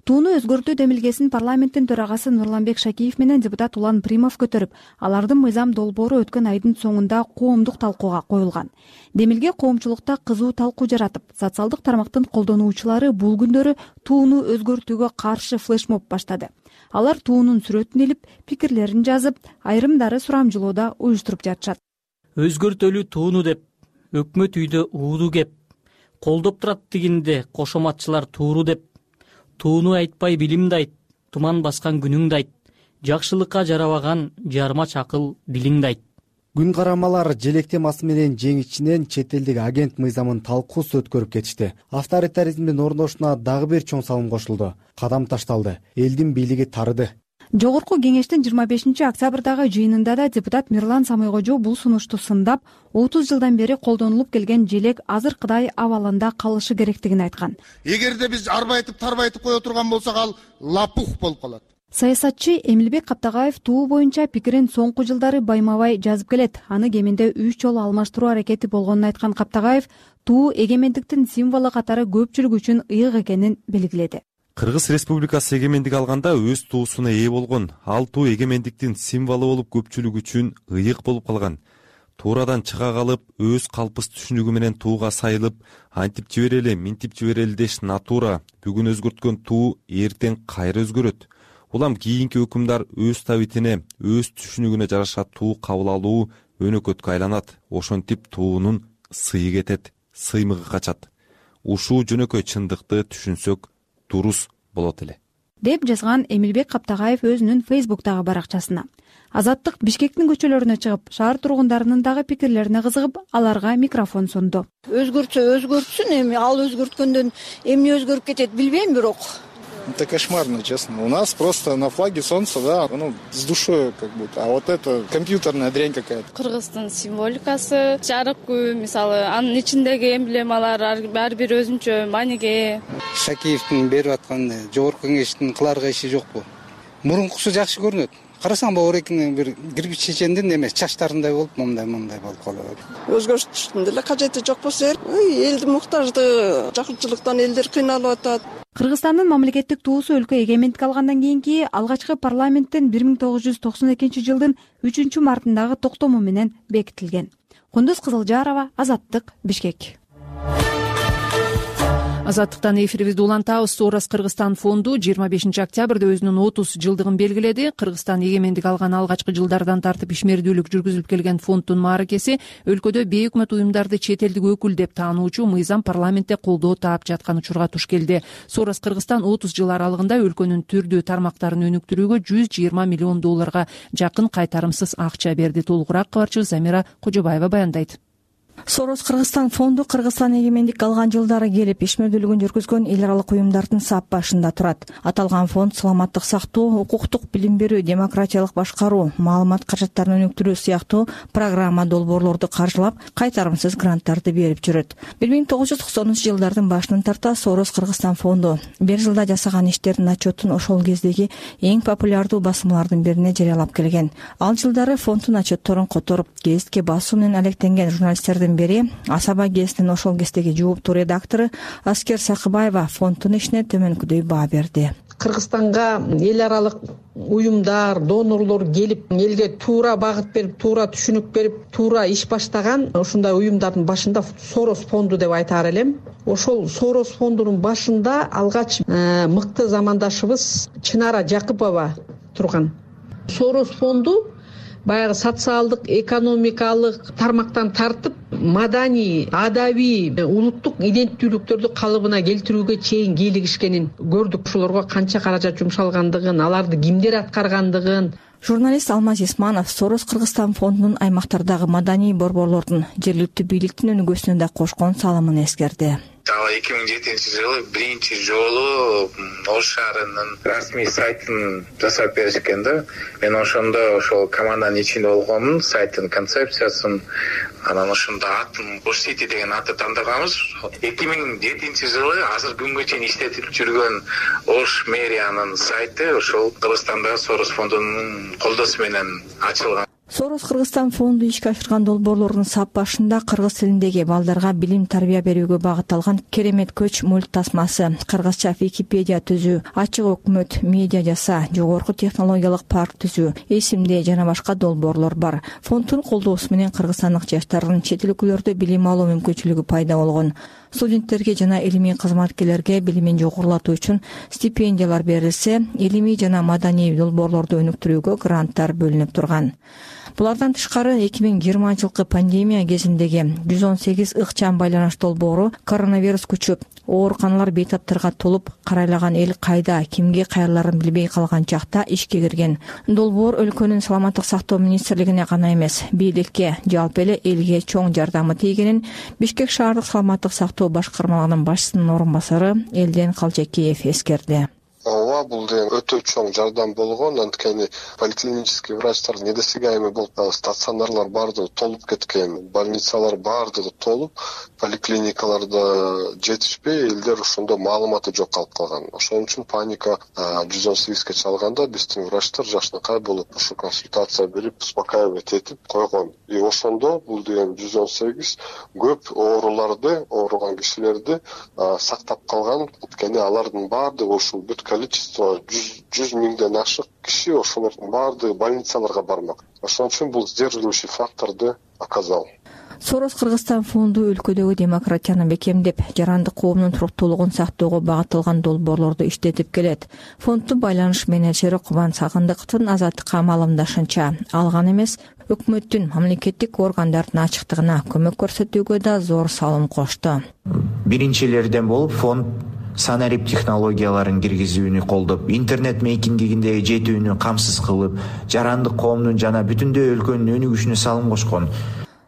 Тууну өзгөртүү демилгесин парламенттин төрагасы Нурланбек Шакиев менен депутат Улан Примов көтөрүп, алардын мыйзам долбоору өткөн айдын соңунда коомдук талкууга коюлган. Демилге коомчулукта кызуу талкуу жаратып, социалдык тармактын колдонуучулары бул күндөрү тууну өзгөртүүгө каршы флешмоб баштады. Алар туунун сүрөтүн илип, пикирлерин жазып, айрымдары сурамжылоодо уюштуруп жатышат. Өзгөртөлүү тууну деп, өкмөт үйдө ууду кеп, колдоп турат тигинде кошоматчылар тууру деп, тууну айтпай билимди айт, туман баскан күнүңдү айт, жакшылыкка жарабаган жарма чакыл дилиңди айт. Күн карамалар желек темасы менен жеңичинен чет элдик агент мыйзамын талкуусу өткөрүп кетишти. Авторитаризмдин орношуна дагы бир чоң салым кошулду. Кадам ташталды. Элдин бийлиги тарыды. Жогорку кеңештин жыйырма бешинчи октябрдагы жыйынында да депутат Мирлан Самойкожо бул сунушту сындап, отуз жылдан бери колдонулуп келген желек азыркыдай абалында калышы керектигин айткан. Эгерде биз арбайтып тарбайтып кое турган болсок, ал лапух болуп калат. Саясатчы Эмилбек Каптагаев туу боюнча пикирин соңку жылдары байма-бай жазып келет. Аны кеминде үч жолу алмаштыруу аракети болгонун айткан Каптагаев туу эгемендиктин символу катары көпчүлүк үчүн ыйык экенин белгиледи. Кыргыз Республикасы эгемендик алганда өз туусуна ээ болгон. Ал туу эгемендиктин символу болуп көпчүлүк үчүн ыйык болуп калган. Туурадан чыга калып, өз калпыс түшүнүгү менен тууга сайылып, антип жиберели, минтип жиберели деш натура. Бүгүн өзгөрткөн туу эртең кайра өзгөрөт. Улам кийинки өкүмдар өз табитине, өз түшүнүгүнө жараша туу кабыл алуу өнөкөткө айланат. Ошентип туунун сыйы кетет, сыймыгы качат. Ушул жөнөкөй чындыкты түшүнсөк дурус болот эле. Деп жазган Эмилбек Каптагаев өзүнүн Фейсбуктагы баракчасына. Азаттык Бишкектин көчөлөрүнө чыгып, шаар тургундарынын дагы пикирлерине кызыгып, аларга микрофон сунду. Өзгөртсө өзгөртсүн, эми ал өзгөрткөндөн эмне өзгөрүп кетет билбейм, бирок Это кошмарно, честно. У нас просто на флаге солнце, да, ну, с душой как будто. А вот это компьютерная дрянь какая-то. Кыргыздын символикасы, жарык күн, мисалы, анын ичиндеги эмблемалар ар бир өзүнчө мааниге. Шакиевдин берип аткан жогорку кеңештин кыларга иши жокпу? Мурункусу жакшы көрүнөт. Карасаң Баурекиндин бир кирпич чечендин эмес, чачтарындай болуп, мындай-мындай болуп калат. Өзгөртүштүн деле кажети жок болсо, элдин муктаждыгы, жакынчылыктан элдер кыйналып атат. Кыргызстандын мамлекеттик туусу өлкө эгемендик алгандан кийинки алгачкы парламенттин бир миң тогуз жүз токсон экинчи жылдын үчүнчү мартындагы токтому менен бекитилген. Кундуз Кызылжарова, Азаттык, Бишкек. Азаттыктан эфирибизди улантабыз. Сорос Кыргызстан фонду жыйырма бешинчи октябрда өзүнүн отуз жылдыгын белгиледи. Кыргызстан эгемендик алган алгачкы жылдардан тартып ишмердүүлүк жүргүзүлүп келген фонддун мааракеси өлкөдө бейөкмөт уюмдарды чет элдик өкүл деп таануучу мыйзам парламентте колдоо таап жаткан учурга туш келди. Сорос Кыргызстан отуз жыл аралыгында өлкөнүн түрдүү тармактарын өнүктүрүүгө жүз жыйырма миллион долларга жакын кайтарымсыз акча берди. Толугураак кабарчыбыз Замира Кожобаева баяндайт. Сорос Кыргызстан фонду Кыргызстан эгемендик алган жылдары келип ишмердүүлүгүн жүргүзгөн эл аралык уюмдардын сап башында турат. Аталган фонд саламаттык сактоо, укуктук билим берүү, демократиялык башкаруу, маалымат каражаттарын өнүктүрүү сыяктуу программа долбоорлорду каржылап, кайтарымсыз гранттарды берип жүрөт. бир миң тогуз жүз токсонунчу жылдардын башынан тарта Сорос Кыргызстан фонду бир жылда жасаган иштердин отчетун ошол кездеги эң популярдуу басмалардын бирине жарыялап келген. Ал жылдары фонддун отчетторун которуп, гезитке басуу менен алектенген журналисттердин бери Асаба гезитинин ошол кездеги жооптуу редактору Аскер Сакыбаева фонддун ишине төмөнкүдөй баа берди. Кыргызстанга эл аралык уюмдар, донорлор келип, элге туура багыт берип, туура түшүнүк берип, туура иш баштаган ушундай уюмдардын башында Сорос фонду деп айтаар элем. Ошол Сорос фондунун башында алгач мыкты замандашыбыз Чынара Жакыпова турган. Сорос фонду баягы социалдык, экономикалык тармактан тартып, маданий, адабий, улуттук иденттүүлүктөрдү калыбына келтирүүгө чейин кийлигишкенин көрдүк. Ошолорго канча каражат жумшалгандыгын, аларды кимдер аткаргандыгын. Журналист Алмаз Исманов Сорос Кыргызстан фондунун аймактардагы маданий борборлордун, жергиликтүү бийликтин өнүгүүсүнө да кошкон салымын эскерди. эки миң жетинчи жылы биринчи жолу Ош шаарынын расмий сайтын жасап беришкен да. Мен ошондо ошол команданын ичинде болгонмун, сайттын концепциясын, анан ошондо атын Ош Сити деген атты тандырганбыз. эки миң жетинчи жылы азыр күнгө чейин иштетилип жүргөн Ош мэриянын сайты ошол Кыргызстандагы Сорос фондунун колдоосу менен ачылган. Сорос Кыргызстан фонду ишке ашырган долбоорлордун сап башында кыргыз тилиндеги балдарга билим тарбия берүүгө багытталган Керемет көч мульт тасмасы, кыргызча Википедия түзүү, ачык өкмөт, медиа жаса, жогорку технологиялык парк түзүү, эсимде жана башка долбоорлор бар. Фонддун колдоосу менен кыргызстандык жаштардын чет эл өлкөлөрдө билим алуу мүмкүнчүлүгү пайда болгон. Студенттерге жана илимий кызматкерлерге билимин жогорулатуу үчүн стипендиялар берилсе, илимий жана маданий долбоорлорду өнүктүрүүгө гранттар бөлүнүп турган. Булардан тышкары эки миң жыйырманчы жылкы пандемия кезиндеги жүз он сегиз ыкчам байланыш долбоору коронавирус күчүп, ооруканалар бейтаптарга толуп, карайлаган эл кайда, кимге кайрыларын билбей калган чакта ишке кирген. Долбоор өлкөнүн саламаттык сактоо министрлигине гана эмес, бийликке, жалпы эле элге чоң жардамы тийгенин Бишкек шаардык саламаттык сактоо башкармалыгынын башчысынын орун басары Элден Калжекеев эскерди. Ооба, бул деген өтө чоң жардам болгон. Анткени поликлинический врачтар недосягаемый болуп, стационарлар баардыгы толуп кеткен, больницалар баардыгы толуп, поликлиникаларда жетишпей, элдер ошондо маалыматы жок калып калган. Ошон үчүн паника жүз он сегизге чалганда биздин врачтар жакшынакай болуп, ошо консультация берип, успокаивать этип койгон. И ошондо бул деген жүз он сегиз көп ооруларды, ооруган кишилерди сактап калган. Анткени алардын баардыгы ушул бүт количество жүз миңден ашык киши ошолордун баардыгы больницаларга бармак. Ошон үчүн бул сдерживающий факторду оказал. Сорос Кыргызстан фонду өлкөдөгү демократияны бекемдеп, жарандык коомдун туруктуулугун сактоого багытталган долбоорлорду иштетип келет. Фонддун байланыш менеджери Кубан Сагындыковдун Азаттыкка маалымдашынча, алган эмес, өкмөттүн, мамлекеттик органдардын ачыктыгына көмөк көрсөтүүгө да зор салым кошту. Биринчилерден болуп фонд санарип технологияларын киргизүүнү колдоп, интернет мейкингиге жетүүнү камсыз кылып, жарандык коомдун жана бүтүндөй өлкөнүн өнүгүшүнө салым кошкон.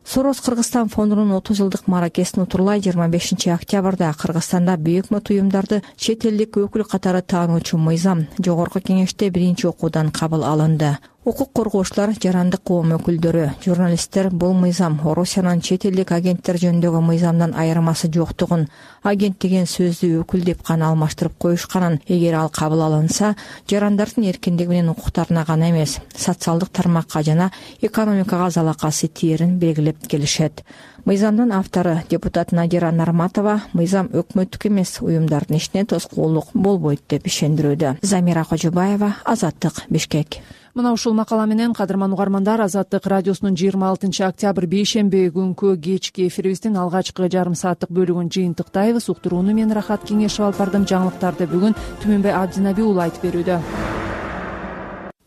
Сорос Кыргызстан фондунун отуз жылдык мааракесин утурлай жыйырма бешинчи октябрда Кыргызстанда бейөкмөт уюмдарды чет элдик өкүл катары таануучу мыйзам жогорку кеңеште биринчи окуудан кабыл алынды. Укук коргоочулар, жарандык коом өкүлдөрү, журналисттер бул мыйзам Орусиянын чет элдик агенттер жөнүндөгү мыйзамдан айырмасы жоктугун, агент деген сөздү өкүл деп гана алмаштырып коюшканын, эгер ал кабыл алынса, жарандардын эркиндиги менен укуктарына гана эмес, социалдык тармакка жана экономикага залакасы тиерин белгилеп келишет. Мыйзамдын автору депутат Надира Нарматова мыйзам өкмөттүк эмес уюмдардын ишине тоскоолдук болбойт деп ишендирүүдө. Замира Кожобаева, Азаттык, Бишкек. Мына ушул макала менен кадырман угармандар, Азаттык радиосунун жыйырма алтынчы октябрь бейшемби күнкү кечки эфирибиздин алгачкы жарым сааттык бөлүгүн жыйынтыктайбыз. Уктурууну мен Рахат Кеңешов алып бардым. Жаңылыктарды бүгүн Түмөнбай Абдинаби уулу айтып берүүдө.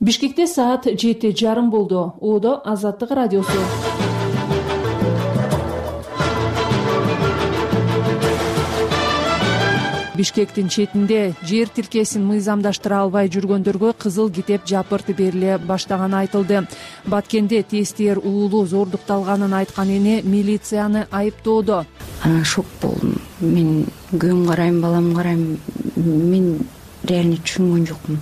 Бишкекте саат жети жарым болду. Оодо Азаттык радиосу. Бишкектин четинде жер тилкесин мыйзамдаштыра албай жүргөндөргө кызыл китеп жапырт бериле баштаганы айтылды. Баткенде тестиер уулу зордукталганын айткан эне милицияны айыптоодо. Анан шок болдум. Мен күйөөм карайм, балам карайм. Мен реально түшүнгөн жокмун.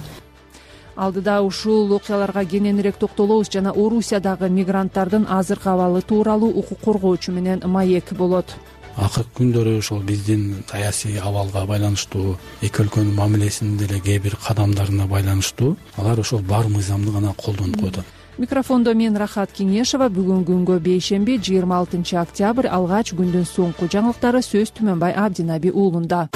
Алдыда ушул окуяларга кененирээк токтолобуз жана Орусиядагы мигранттардын азыркы абалы тууралуу укук коргоочу менен маек болот. Акыркы күндөрү ошол биздин саясий абалга байланыштуу, эки өлкөнүн мамилесинин деле кээ бир кадамдарына байланыштуу алар ошол бар мыйзамды гана колдонуп коюп атат. Микрофондо мен Рахат Кеңешова. Бүгүн күнгө бейшемби жыйырма алтынчы октябрь алгач күндүн соңку жаңылыктары сөз Түмөнбай Абдинаби уулунда.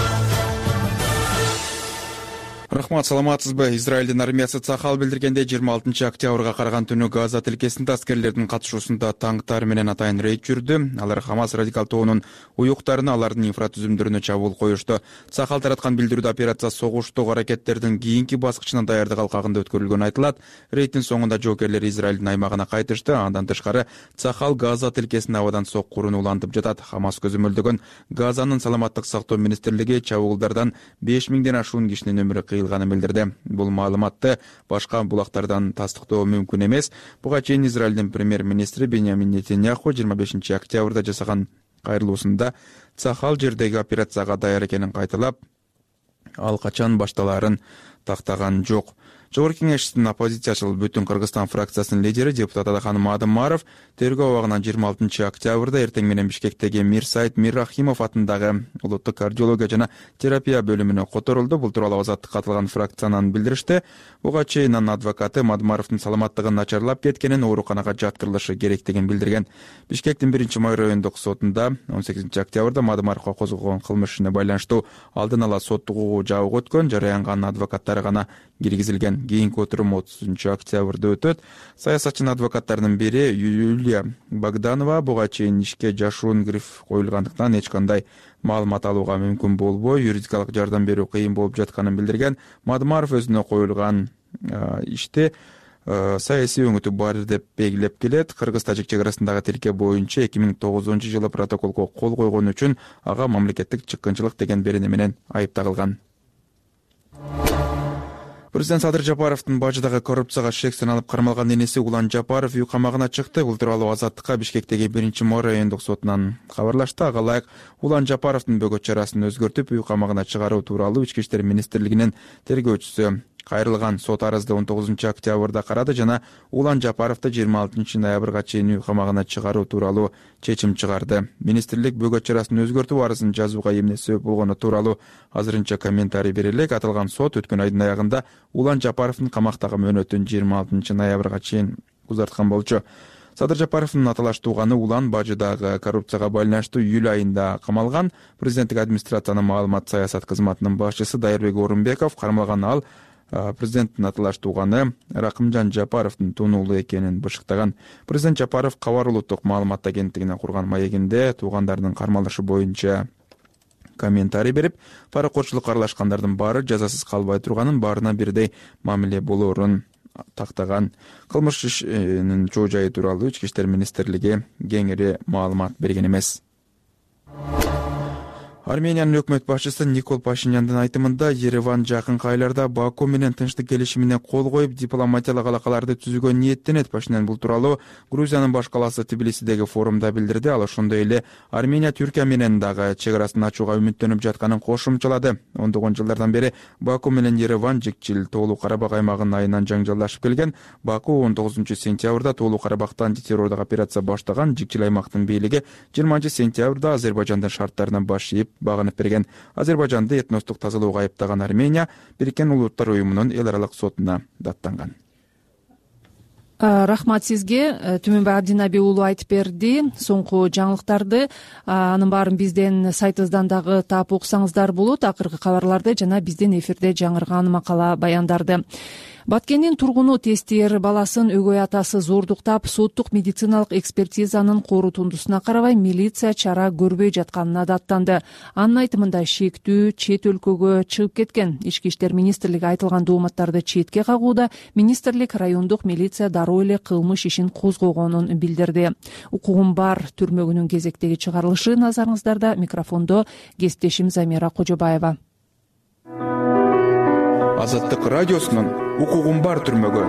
Рахмат, саламатсызбы? Израилдин армиясы Цахал билдиргенде жыйырма алтынчы октябрга караган түнү Газа тилкесинде аскерлердин катышуусунда танктар менен атайын рейд жүрдү. Алар Хамас радикал тобунун уюктарына, алардын инфратүзүмдөрүнө чабуул коюшту. Цахал тараткан билдирүүдө операция согуштук аракеттердин кийинки баскычына даярдык алкагында өткөрүлгөнү айтылат. Рейдтин соңунда жоокерлер Израилдин аймагына кайтышты. Андан тышкары Цахал Газа тилкесине абадан соккурууну улантып жатат. Хамас көзөмөлдөгөн Газанын саламаттык сактоо министрлиги чабуулдардан беш миңден ашуун кишинин өмүрү кыйылганын билдирди. Бул маалыматты башка булактардан тастыктоо мүмкүн эмес. Буга чейин Израилдин премьер-министри Беньямин Нетаньяху жыйырма бешинчи октябрда жасаган кайрылуусунда Цахал жердеги операцияга даяр экенин кайталап, ал качан башталаарын тактаган жок. Жогорку кеңештин оппозициячыл Бүтүн Кыргызстан фракциясынын лидери депутат Адаханым Адымаров тергөө абагынан жыйырма алтынчы октябрда эртең менен Бишкектеги Мир Сайт Мир Рахимов атындагы улуттук кардиология жана терапия бөлүмүнө которулду. Бул тууралуу Азаттыкка катылган фракциянын билдиришти. Буга чейин анын адвокаты Адымаровдун саламаттыгын начарлап кеткенин, ооруканага жаткырылышы керектигин билдирген. Бишкектин биринчи май райондук сотунда он сегизинчи октябрда Адымаровго козголгон кылмыш ишине байланыштуу алдын ала соттук угуу жабык өткөн. Жараянга анын адвокаттары гана киргизилген. Кийинки отурум отузунчу октябрда өтөт. Саясатчынын адвокаттарынын бири Юлия Богданова буга чейин ишке жашуун гриф коюлгандыктан эч кандай маалымат алууга мүмкүн болбой, юридикалык жардам берүү кыйын болуп жатканын билдирген. Мадымаров өзүнө коюлган иште саясий өңүтү бар деп белгилеп келет. Кыргыз-тажик чек арасындагы тилке боюнча эки миң тогузунчу жылы протоколго кол койгон үчүн ага мамлекеттик чыккынчылык деген берене менен айыпталган. Президент Садыр Жапаровдун бажыдагы коррупцияга шек саналып кармалган энеси Улан Жапаров үй камагына чыкты. Бул тууралуу Азаттыкка Бишкектеги биринчи май райондук сотунан кабарлашты. Ага ылайык Улан Жапаровдун бөгөт чарасын өзгөртүп үй камагына чыгаруу тууралуу Ички иштер министрлигинин тергөөчүсү кайрылган сот арызды он тогузунчу октябрда карады жана Улан Жапаровду жыйырма алтынчы ноябрга чейин үй камагына чыгаруу тууралуу чечим чыгарды. Министрлик бөгөт чарасын өзгөртүү арызын жазууга эмне себеп болгону тууралуу азырынча комментарий бере элек. Аталган сот өткөн айдын аягында Улан Жапаровдун камактагы мөөнөтүн жыйырма алтынчы ноябрга чейин узарткан болчу. Садыр Жапаровдун аталаш тууганы Улан бажыдагы коррупцияга байланыштуу июль айында камалган. Президенттик администрациянын маалымат саясат кызматынын башчысы Дайырбек Орунбеков кармалган. Ал президенттин аталаш тууганы Ракымжан Жапаровдун тунуулу экенин бышыктаган. Президент Жапаров Кабар улуттук маалымат агенттигине курган маегинде туугандарынын кармалышы боюнча комментарий берип, паракотчулукка аралашкандардын баары жазасыз калбай турганын, баарына бирдей мамиле болоорун тактаган. Кылмыш ишинин чоо жайы тууралуу Ички иштер министрлиги кеңири маалымат берген эмес. Армениянын өкмөт башчысы Никол Пашиняндын айтымында Ереван жакынкы айларда Баку менен тынчтык келишимине кол коюп дипломатиялык алакаларды түзүүгө ниеттенет. Пашинян бул тууралуу Грузиянын баш калаасы Тбилисидеги форумда билдирди. Ал ошондой эле Армения Түркия менен дагы чек арасын ачууга үмүттөнүп жатканын кошумчалады. ондогон жылдардан бери Баку менен Ереван жикчил Тоолуу Карабак аймагынын айынан жаңжалдашып келген. Баку он тогузунчу сентябрда Тоолуу Карабактан антитеррорлук операция баштаган. Жикчил аймактын бийлиги жыйырманчы сентябрда Азербайжандын шарттарына баш ийип багынып берген. Азербайжанды этностук тазалоого айыптаган Армения Бириккен Улуттар уюмунун эл аралык сотуна даттанган. Рахмат сизге. Түмөнбай Абдинаби уулу айтып берди соңку жаңылыктарды. Анын баарын бизден сайтыбыздан дагы таап окусаңыздар болот. Акыркы кабарларды жана биздин эфирде жаңырган макала баяндарды. Баткендин тургуну тестер баласын өгөй атасы зордуктап, соттук медициналык экспертизанын корутундусуна карабай милиция чара көрбөй жатканына даттанды. Анын айтымында шектүү чет өлкөгө чыгып кеткен. Ички иштер министрлиги айтылган дооматтарды четке кагууда, министрлик райондук милиция дароо эле кылмыш ишин козгогонун билдирди. Укугум бар түрмөгүнүн кезектеги чыгарылышы назарыңыздарда. Микрофондо кесиптешим Замира Кожобаева. Азаттык радиосунун укугум бар түрмөгү.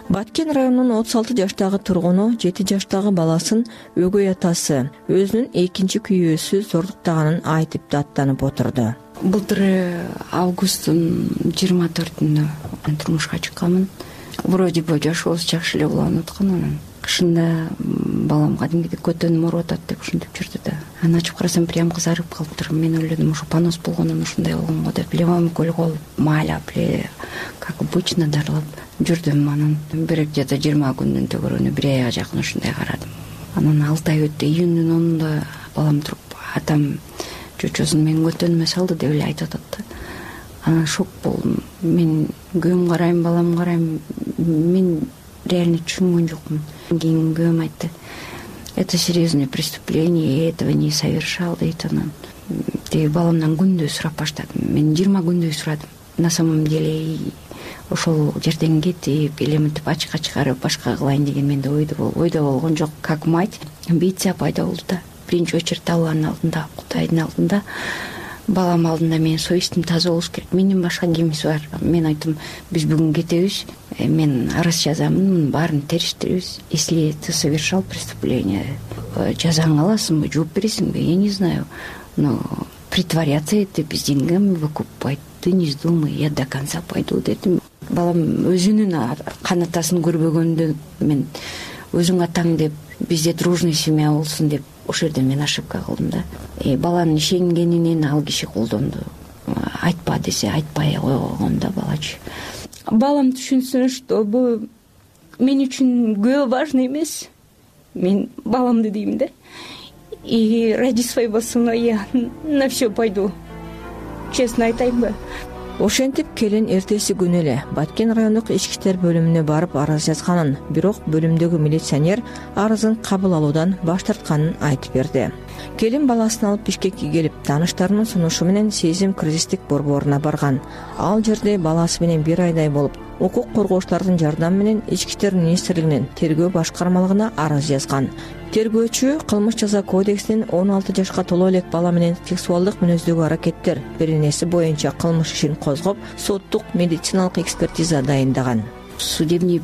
Баткен районунун отуз алты жаштагы тургуну жети жаштагы баласын өгөй атасы өзүнүн экинчи күйөөсү зордуктаганын айтып даттанып отурду. Былтыр августтун жыйырма төртүндө турмушка чыкканмын. Вроде бы жашообуз жакшы эле уланып аткан. Анан кышында балам кадимкидей көтөнүм ооруп атат деп ушинтип жүрдү да. Анан ачып карасам прям кызарып калыптыр. Мен ойлодум, ушу понос болгондон ушундай болгонго деп левым көлгө маалап эле как обычно дарылап жүрдүм. Анан бир где то жыйырма күндүн төгөрүнү бир айга жакын ушундай карадым. Анан алты ай өттү. Июндун онунда балам туруп, атам чочосун менин көтөнүмө салды деп эле айтып атат да. Анан шок болдум. Мен күйөөм карайм, балам карайм. Мен реально түшүнгөн жокмун. Кийин күйөөм айтты: это серьезное преступление, я этого не совершал дейт. Анан тиги баламдан күндөй сурап баштадым. Мен жыйырма күндөй сурадым. На самом деле ошол жерден кетип, элементип ачыкка чыгарып башка кылайын деген менде ойдо ойдо болгон жок. Как мать, амбиция пайда болду да. Биринчи очередь Алланын алдында, Кудайдын алдында, балам алдында менин совестим таза болуш керек. Менден башка кимиз бар? Мен айттым, биз бүгүн кетебиз, мен арыз жазамын, мунун баарын териштиребиз. Если ты совершал преступление, жазаңды аласыңбы, жооп бересиңби, я не знаю. Но притворяться это без деньгами выкупать, ты не вздумай, я до конца пойду дедим. Балам өзүнүн кан атасын көрбөгөндө мен өзүң атаң деп, бизде дружный семья болсун деп ошол жерде мен ошибка кылдым да. И баланын ишенгенинен ал киши колдонду. Айтпа десе айтпай койгон да балачы. Балам түшүнсүн, что бул мен үчүн күйөө важный эмес. Мен баламды дейм да. И ради своего сына я на все пойду. Честно айтайынбы? Ошентип келин эртеси күнү эле Баткен райондук ички иштер бөлүмүнө барып арыз жазганын, бирок бөлүмдөгү милиционер арызын кабыл алуудан баш тартканын айтып берди. Келин баласын алып Бишкекке келип, тааныштарынын сунушу менен Сезим кризистик борборуна барган. Ал жерде баласы менен бир айдай болуп, укук коргоочулардын жардамы менен ички иштер министрлигинин тергөө башкармалыгына арыз жазган. Тергөөчү кылмыш жаза кодексинин он алты жашка толо элек бала менен сексуалдык мүнөздөгү аракеттер беренеси боюнча кылмыш ишин козгоп, соттук медициналык экспертиза дайындаган. Судебный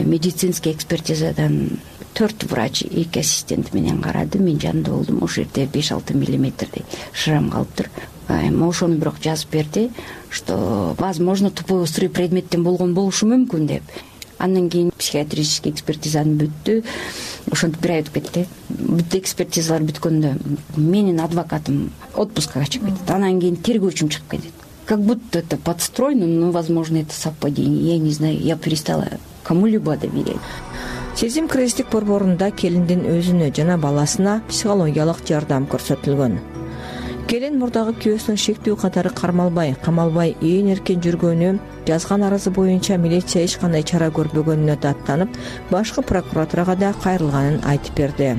медицинский экспертизадан төрт врач, эки ассистент менен карады. Мен жанында болдум. Ошол жерде беш алты миллиметрдей шрам калыптыр. Ошону бирок жазып берди, что возможно тупой острый предметтен болгон болушу мүмкүн деп. Андан кийин психиатрический экспертизаны бүттү. Ошентип бир ай өтүп кетти. Бүт экспертизалар бүткөндө менин адвокатым отпускага чыгып кетти. Андан кийин тергөөчүм чыгып кетти. Как будто это подстроено, но, возможно, это совпадение. Я не знаю, я перестала кому-либо доверять. Сезим кризистик борборунда келиндин өзүнө жана баласына психологиялык жардам көрсөтүлгөн. Келин мурдагы күйөөсүнүн шектүү катары кармалбай, камалбай ээн эркен жүргөнү, жазган арызы боюнча милиция эч кандай чара көрбөгөнүнө даттанып, башкы прокуратурага да кайрылганын айтып берди.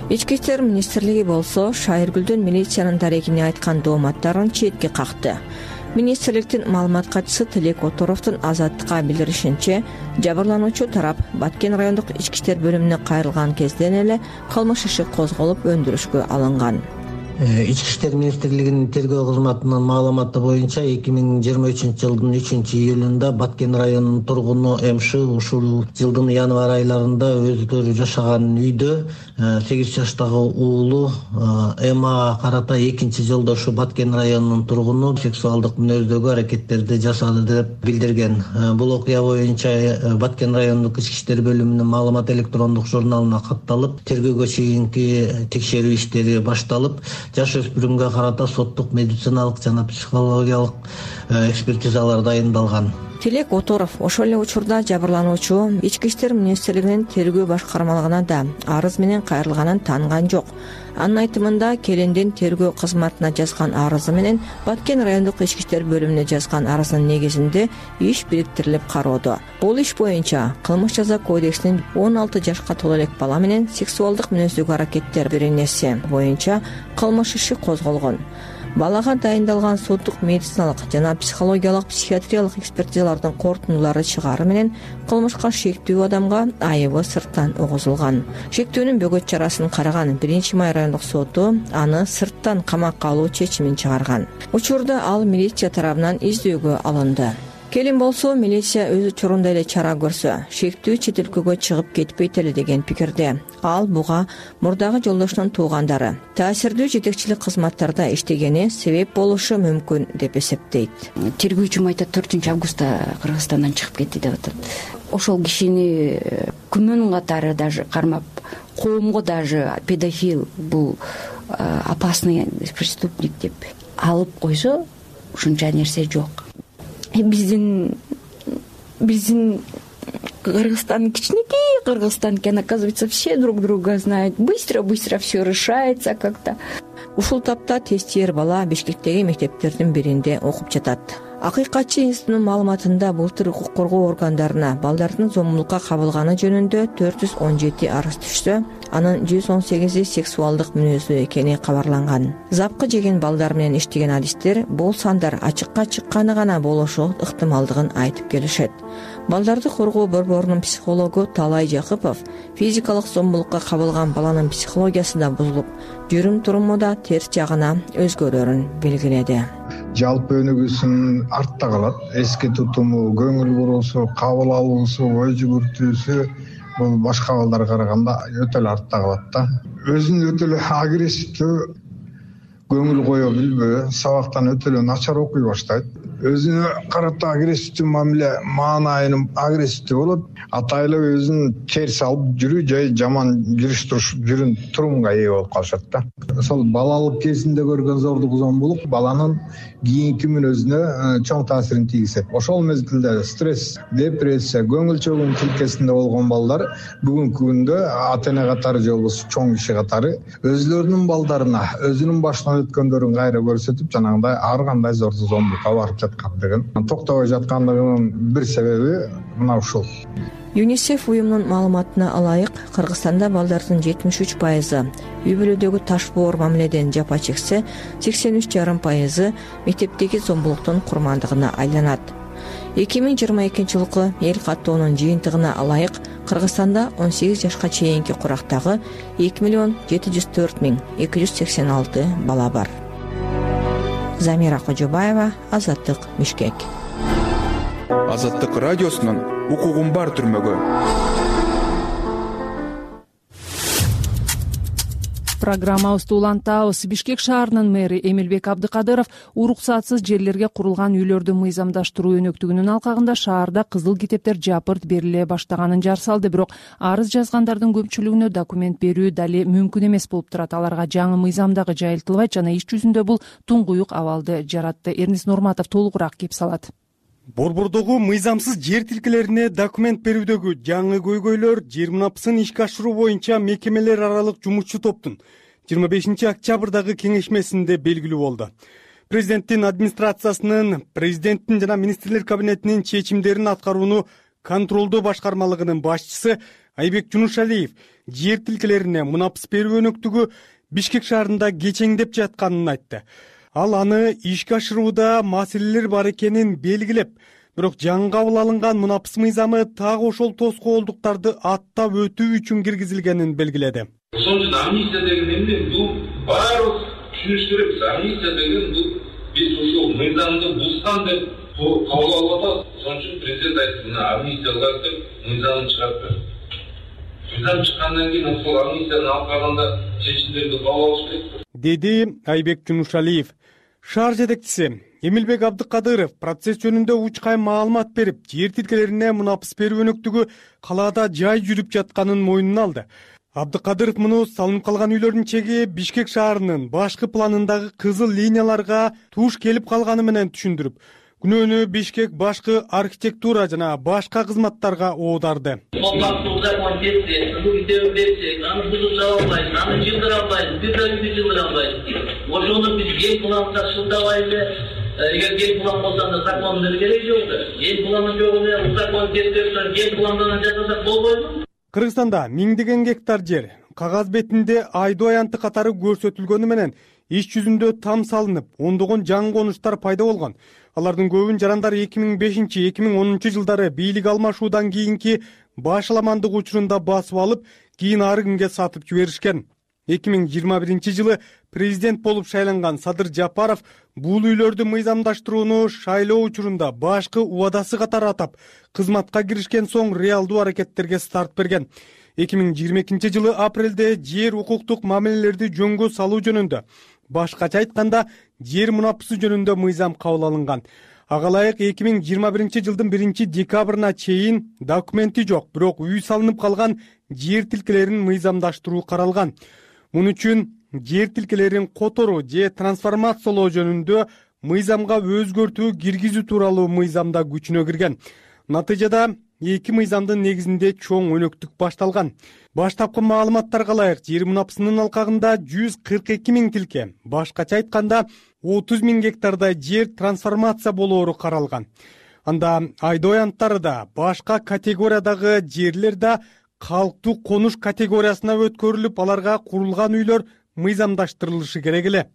Ички иштер министрлиги болсо Шайыргүлдүн милициянын дарегине айткан дооматтарын четке какты. министрликтин маалымат катчысы Тилек Оторовдун Азаттыкка билдиришинче, жабырлануучу тарап Баткен райондук ички иштер бөлүмүнө кайрылган кезден эле кылмыш иши козголуп өндүрүшкө алынган. Ички иштер министрлигинин тергөө кызматынын маалыматы боюнча эки миң жыйырма үчүнчү жылдын үчүнчү июлунда Баткен районунун тургуну МШ ушул жылдын январь айларында өздөрү жашаган үйдө сегиз жаштагы уулу Эмага карата экинчи жолдо ушу Баткен районунун тургуну сексуалдык мүнөздөгү аракеттерди жасады деп билдирген. Бул окуя боюнча Баткен райондук ички иштер бөлүмүнүн маалымат электрондук журналына катталып, тергөөгө чейинки текшерүү иштери башталып, жаш өспүрүмгө карата соттук, медициналык жана психологиялык экспертизалар дайындалган. Тилек Оторов ошол эле учурда жабырлануучу ички иштер министрлигинин тергөө башкармалыгына да арыз менен кайрылганын тааныган жок. Анын айтымында, келиндин тергөө кызматына жазган арызы менен Баткен райондук ички иштер бөлүмүнө жазган арызынын негизинде иш бириктирилип кароодо. Бул иш боюнча Кылмыш жаза кодексинин он алты жашка толо элек бала менен сексуалдык мүнөздөгү аракеттер беренеси боюнча кылмыш иши козголгон. Балага дайындалган соттук, медициналык жана психологиялык психиатриялык экспертизалардын корутундулары чыгаары менен кылмышка шектүү адамга айыбы сырттан угузулган. Шектүүнүн бөгөт чарасын караган биринчи май райондук соту аны сырттан камакка алуу чечимин чыгарган. Учурда ал милиция тарабынан издөөгө алынды. Келин болсо, милиция өз учурунда эле чара көрсө, шектүү чет өлкөгө чыгып кетпейт эле деген пикирде. Ал буга мурдагы жолдошунун туугандары таасирдүү жетекчилик кызматтарда иштегени себеп болушу мүмкүн деп эсептейт. Тергөөчүм айтат, төртүнчү августта Кыргызстандан чыгып кетти деп атат. Ошол кишини күмөн катары даже кармап, коомго даже педофил, бул опасный преступник деп алып койсо, ушунча нерсе жок. Биздин биздин Кыргызстан кичинекей Кыргызстан экен, оказывается, все друг друга знают. Быстро-быстро все решается как-то. Ушул тапта тестиер бала Бишкектеги мектептердин биринде окуп жатат. Акыйкатчы институтунун маалыматында былтыр укук коргоо органдарына балдардын зомбулукка кабылганы жөнүндө төрт жүз он жети арыз түшсө, анын жүз он сегизи сексуалдык мүнөздүү экени кабарланган. Запкы жеген балдар менен иштеген адистер бул сандар ачыкка чыкканы гана болушу ыктымалдыгын айтып келишет. Балдарды коргоо борборунун психологу Талай Жакыпов физикалык зомбулукка кабылган баланын психологиясы да бузулуп, жүрүм туруму да терс жагына өзгөрөрүн белгиледи. Жалпы өнүгүүсүн артта калат. Эски тутуму, көңүл буруусу, кабыл алуусу, ой жүгүртүүсү бул башка балдарга караганда өтө эле артта калат да. Өзүн өтө эле агрессивдүү, көңүл кое билбөө, сабактан өтө эле начар окуй баштайт. Өзүнө карата агрессивдүү мамиле маанайын агрессивдүү болот. Атайлы өзүн терс алып жүрүү же жаман жүрүш туруш жүрүн турумга ээ болуп калышат да. Ошол балалык кезинде көргөн зордук, зомбулук баланын кийинки мүнөзүнө чоң таасирин тийгизет. Ошол мезгилде стресс, депрессия, көңүл чөгүүнүн тилкесинде болгон балдар бүгүнкү күндө ата-эне катары же болбосо чоң киши катары өзлөрүнүн балдарына өзүнүн башынан өткөндөрүн кайра көрсөтүп, жанагындай ар кандай зордук, зомбулукка барып жаткандыгын, токтобой жаткандыгынын бир себеби мына ушул. ЮНИСЕФ уюмунун маалыматына ылайык, Кыргызстанда балдардын жетимиш үч пайызы үй бүлөдөгү таш боор мамиледен жапа чексе, сексен үч жарым пайызы мектептеги зомбулуктун курмандыгына айланат. эки миң жыйырма экинчи жылкы эл каттоонун жыйынтыгына ылайык, Кыргызстанда он сегиз жашка чейинки курактагы эки миллион жети жүз төрт миң эки жүз сексен алты бала бар. Замира Кожобаева, Азаттык, Бишкек. Азаттык радиосунун укугум бар түрмөгө. Программабызды улантабыз. Бишкек шаарынын мэри Эмилбек Абдыкадыров уруксатсыз жерлерге курулган үйлөрдү мыйзамдаштыруу өнөктүгүнүн алкагында шаарда кызыл китептер жапырт бериле баштаганын жар салды. Бирок арыз жазгандардын көпчүлүгүнө документ берүү дали мүмкүн эмес болуп турат. Аларга жаңы мыйзам дагы жайылтылбайт жана иш жүзүндө бул туңгуюк абалды жаратты. Эрнис Нурматов толугураак кеп салат. Борбордогу мыйзамсыз жер тилкелерине документ берүүдөгү жаңы көйгөйлөр жыйырмапсын ишке ашыруу боюнча мекемелер аралык жумушчу топтун жыйырма бешинчи октябрдагы кеңешмесинде белгилүү болду. Президенттин администрациясынын, президенттин жана министрлер кабинетинин чечимдерин аткарууну контролдоо башкармалыгынын башчысы Айбек Жунушалиев жер тилкелерине мунапс берүү өнөктүгү Бишкек шаарында кечеңдеп жатканын айтты. ал аны ишке ашырууда маселелер бар экенин белгилеп, бирок жаңы кабыл алынган мунапыс мыйзамы так ошол тоскоолдуктарды аттап өтүү үчүн киргизилгенин белгиледи. Ошон үчүн амнистия деген эмне? Бул баарыбыз түшүнүш керекпиз. Амнистия деген бул биз ушул мыйзамды бузган деп кабыл алып атабыз. Ошон үчүн президент айтты, мына амнистия кылат деп мыйзамды чыгарып берди. Мыйзам чыккандан кийин ошол амнистияны алып калганда чечимдерди кабыл алыш керек, деди Айбек Жунушалиев. Шаар жетекчиси Эмилбек Абдыкадыров процесс жөнүндө учкай маалымат берип, жер тилкелерине мунапыс берүү өнөктүгү калаада жай жүрүп жатканын мойнуна алды. Абдыкадыров муну салынып калган үйлөрдүн чеги Бишкек шаарынын башкы планындагы кызыл линияларга туш келип калганы менен түшүндүрүп, күнөөнү Бишкек башкы архитектура жана башка кызматтарга оодарды. Аны бузуп чыга албайбыз, аны жылдыра албайбыз, бир да үйдү жылдыра албайбыз. Ошону биз эл планга шылтабайлы, эгер эл план болсо анда закондун кереги жок да. Эл планы жок эле закон тескерисинен эл пландан жасасак болбойбу? Кыргызстанда миңдеген гектар жер кагаз бетинде айдоо аянты катары көрсөтүлгөнү менен иш жүзүндө там салынып, ондогон жаңы конуштар пайда болгон. Алардын көбүн жарандар эки миң бешинчи эки миң онунчу жылдары бийлик алмашуудан кийинки башаламандык учурунда басып алып, кийин ары кимге сатып жиберишкен. эки миң жыйырма биринчи жылы президент болуп шайланган Садыр Жапаров бул үйлөрдү мыйзамдаштырууну шайлоо учурунда башкы убадасы катары атап, кызматка киришкен соң реалдуу аракеттерге старт берген. эки миң жыйырма экинчи жылы апрелде жер укуктук мамилелерди жөнгө салуу жөнүндө, башкача айтканда жер мунапысы жөнүндө мыйзам кабыл алынган. Ага ылайык эки миң жыйырма биринчи жылдын биринчи декабрына чейин документи жок, бирок үй салынып калган жер тилкелерин мыйзамдаштыруу каралган. Мун үчүн жер тилкелерин которуу же трансформациялоо жөнүндө мыйзамга өзгөртүү киргизүү тууралуу мыйзамда күчүнө кирген. Натыйжада эки мыйзамдын негизинде чоң өнөктүк башталган. Баштапкы маалыматтарга ылайык жер мунапысынын алкагында жүз кырк эки миң тилке, башкача айтканда отуз миң гектардай жер трансформация болоору каралган. Анда айдоо аянттары да, башка категориядагы жерлер да калктуу конуш категориясына өткөрүлүп, аларга курулган үйлөр мыйзамдаштырылышы керек эле.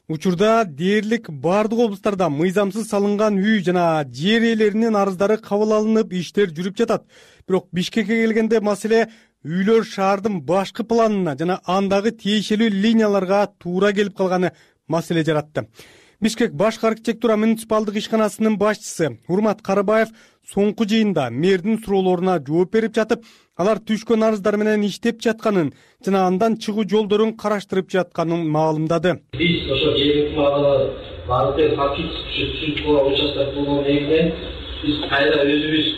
Учурда дээрлик бардык облустарда мыйзамсыз салынган үй жана жер ээлеринин арыздары кабыл алынып, иштер жүрүп жатат. Бирок Бишкекке келгенде маселе үйлөр шаардын башкы планына жана андагы тиешелүү линияларга туура келип калганы маселе жаратты. Бишкек башкы архитектура муниципалдык ишканасынын башчысы Урмат Карыбаев соңку жыйында мэрдин суроолоруна жооп берип жатып, алар түшкөн арыздар менен иштеп жатканын жана андан чыгуу жолдорун караштырып жатканын маалымдады. Биз ошо жергиликтүү маалымат баардык фактически түшүнүп участок болгон негизинен биз кайра өзүбүз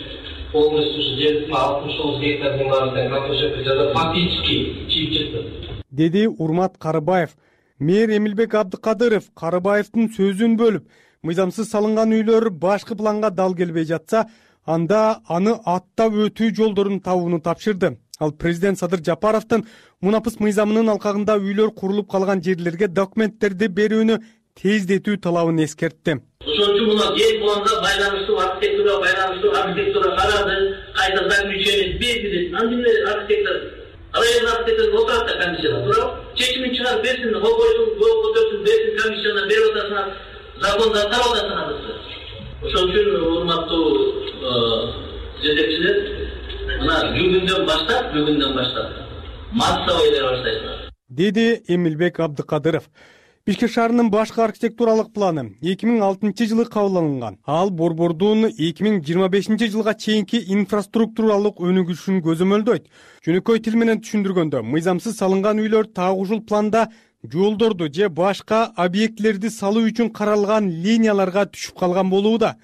полностью ушу жердин алтымыш тогуз гектардын баарында картошка жасап фактически чийип чыктык, деди Урмат Карыбаев. Мэр Эмилбек Абдыкадыров Карыбаевдин сөзүн бөлүп, мыйзамсыз салынган үйлөр башкы планга дал келбей жатса, анда аны аттап өтүү жолдорун табууну тапшырды. Ал президент Садыр Жапаровдун мунапыс мыйзамынын алкагында үйлөр курулуп калган жерлерге документтерди берүүнү тездетүү талабын эскертти. Ошон үчүн мына жер планга байланыштуу архитектурага байланыштуу архитектура карады, кайда заключение берди. Андыйле архитектор район архитектор отурат да комиссияда, туурабы? Чечимин чыгарып берсин, кол койсун, кол көтөрсүн, берсин комиссияна берип атасыңар, закондо тарап атасыңар. Ошон үчүн урматтуу жетекчилер, мына бүгүндөн баштап, бүгүндөн баштап массовый бере баштайсыңар, деди Эмилбек Абдыкадыров. Бишкек шаарынын башкы архитектуралык планы эки миң алтынчы жылы кабыл алынган. Ал борбордун эки миң жыйырма бешинчи жылга чейинки инфраструктуралык өнүгүшүн көзөмөлдөйт. Жөнөкөй тил менен түшүндүргөндө, мыйзамсыз салынган үйлөр так ушул планда жолдорду же башка объектилерди салуу үчүн каралган линияларга түшүп калган болууда.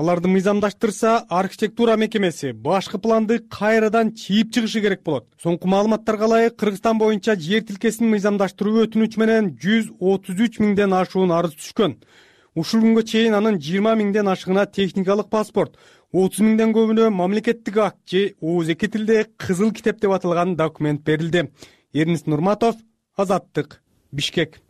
Аларды мыйзамдаштырса, архитектура мекемеси башкы планды кайрадан чийип чыгышы керек болот. Соңку маалыматтарга ылайык, Кыргызстан боюнча жер тилкесин мыйзамдаштыруу өтүнүч менен жүз отуз үч миңден ашуун арыз түшкөн. Ушул күнгө чейин анын жыйырма миңден ашыгына техникалык паспорт, отуз миңден көбүнө мамлекеттик акт же ооз эки тилде кызыл китеп деп аталган документ берилди. Эрнис Нурматов, Азаттык, Бишкек.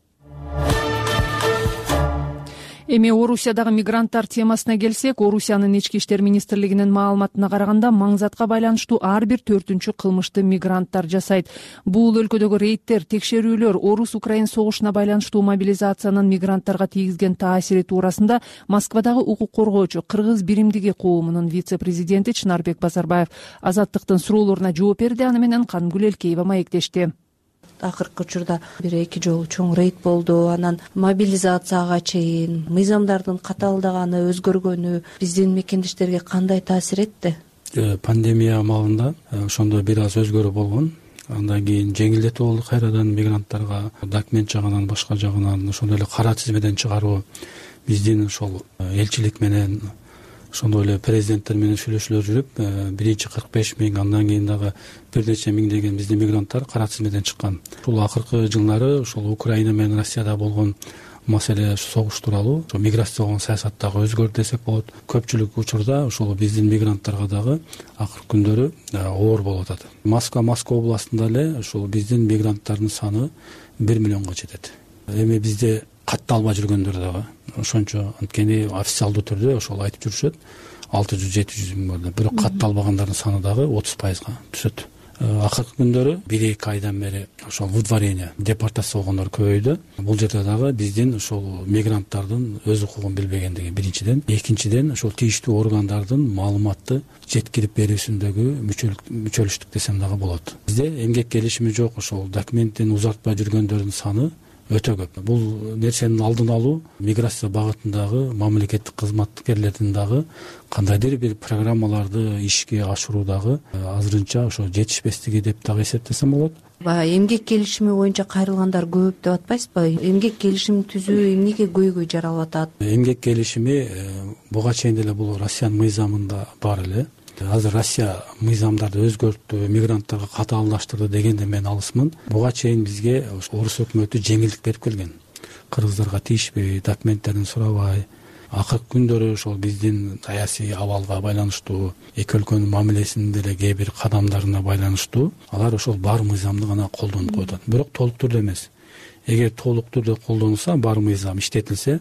Эми Орусиядагы мигранттар темасына келсек, Орусиянын ички иштер министрлигинин маалыматына караганда маңзатка байланыштуу ар бир төртүнчү кылмышты мигранттар жасайт. Бул өлкөдөгү рейдтер, текшерүүлөр Орус-Украин согушуна байланыштуу мобилизациянын мигранттарга тийгизген таасири туурасында Москвадагы укук коргоочу Кыргыз биримдиги коомунун вице-президенти Чынарбек Базарбаев Азаттыктын суроолоруна жооп берди. Аны менен Кангүл Элкеева маектешти. Акыркы учурда бир эки жолу чоң рейд болду. Анан мобилизацияга чейин мыйзамдардын катаалдаганы, өзгөргөнү биздин мекендештерге кандай таасир этти? Пандемия маалында ошондо бир аз өзгөрүү болгон. Андан кийин жеңилдетүү болду кайрадан мигранттарга документ жагынан, башка жагынан ошондой эле кара тизмеден чыгаруу биздин ошол элчилик менен ошондой эле президенттер менен сүйлөшүүлөр жүрүп, биринчи кырк беш миң, андан кийин дагы бир нече миң деген биздин мигранттар кара тизмеден чыккан. Ушул акыркы жылдары ошол Украина менен Россияда болгон маселе согуш тууралуу миграциялык саясаттагы өзгөрдү десек болот. Көпчүлүк учурда ошол биздин мигранттарга дагы акыркы күндөрү оор болуп атат. Москва, Москва областында эле ошол биздин мигранттардын саны бир миллионго жетет. Эми бизде катталбай жүргөндөр дагы ошончо, анткени официалдуу түрдө ошол айтып жүрүшөт алты жүз жети жүз миң бар, бирок катталбагандардын саны дагы отуз пайызга түшөт. Акыркы күндөрү бир эки айдан бери ошол выдворение, депортация болгондор көбөйдү. Бул жерде дагы биздин ошол мигранттардын өз укугун билбегендиги биринчиден, экинчиден ошол тийиштүү органдардын маалыматты жеткирип берүүсүндөгү мүчөлүштүк десем дагы болот. Бизде эмгек келишими жок, ошол документтин узартпай жүргөндөрдүн саны өтө көп. Бул нерсенин алдын алуу миграция багытындагы мамлекеттик кызматкерлердин дагы кандайдыр бир программаларды ишке ашыруудагы азырынча ошо жетишпестиги деп дагы эсептесем болот. Баягы эмгек келишими боюнча кайрылгандар көп деп атпайсызбы? Эмгек келишимин түзүү эмнеге көйгөй жаралып атат? Эмгек келишими буга чейин деле бул Россиянын мыйзамында бар эле. Азыр Россия мыйзамдарды өзгөрттү, мигранттарга катаалдаштырды дегенде мен алысмын. Буга чейин бизге орус өкмөтү жеңилдик берип келген. Кыргыздарга тийишпей, документтерин сурабай. Акыркы күндөрү ошол биздин саясий абалга байланыштуу, эки өлкөнүн мамилесинин деле кээ бир кадамдарына байланыштуу алар ошол бар мыйзамды гана колдонуп коюп атат. Бирок толук түрдө эмес. Эгер толук түрдө колдонулса, бар мыйзам иштетилсе,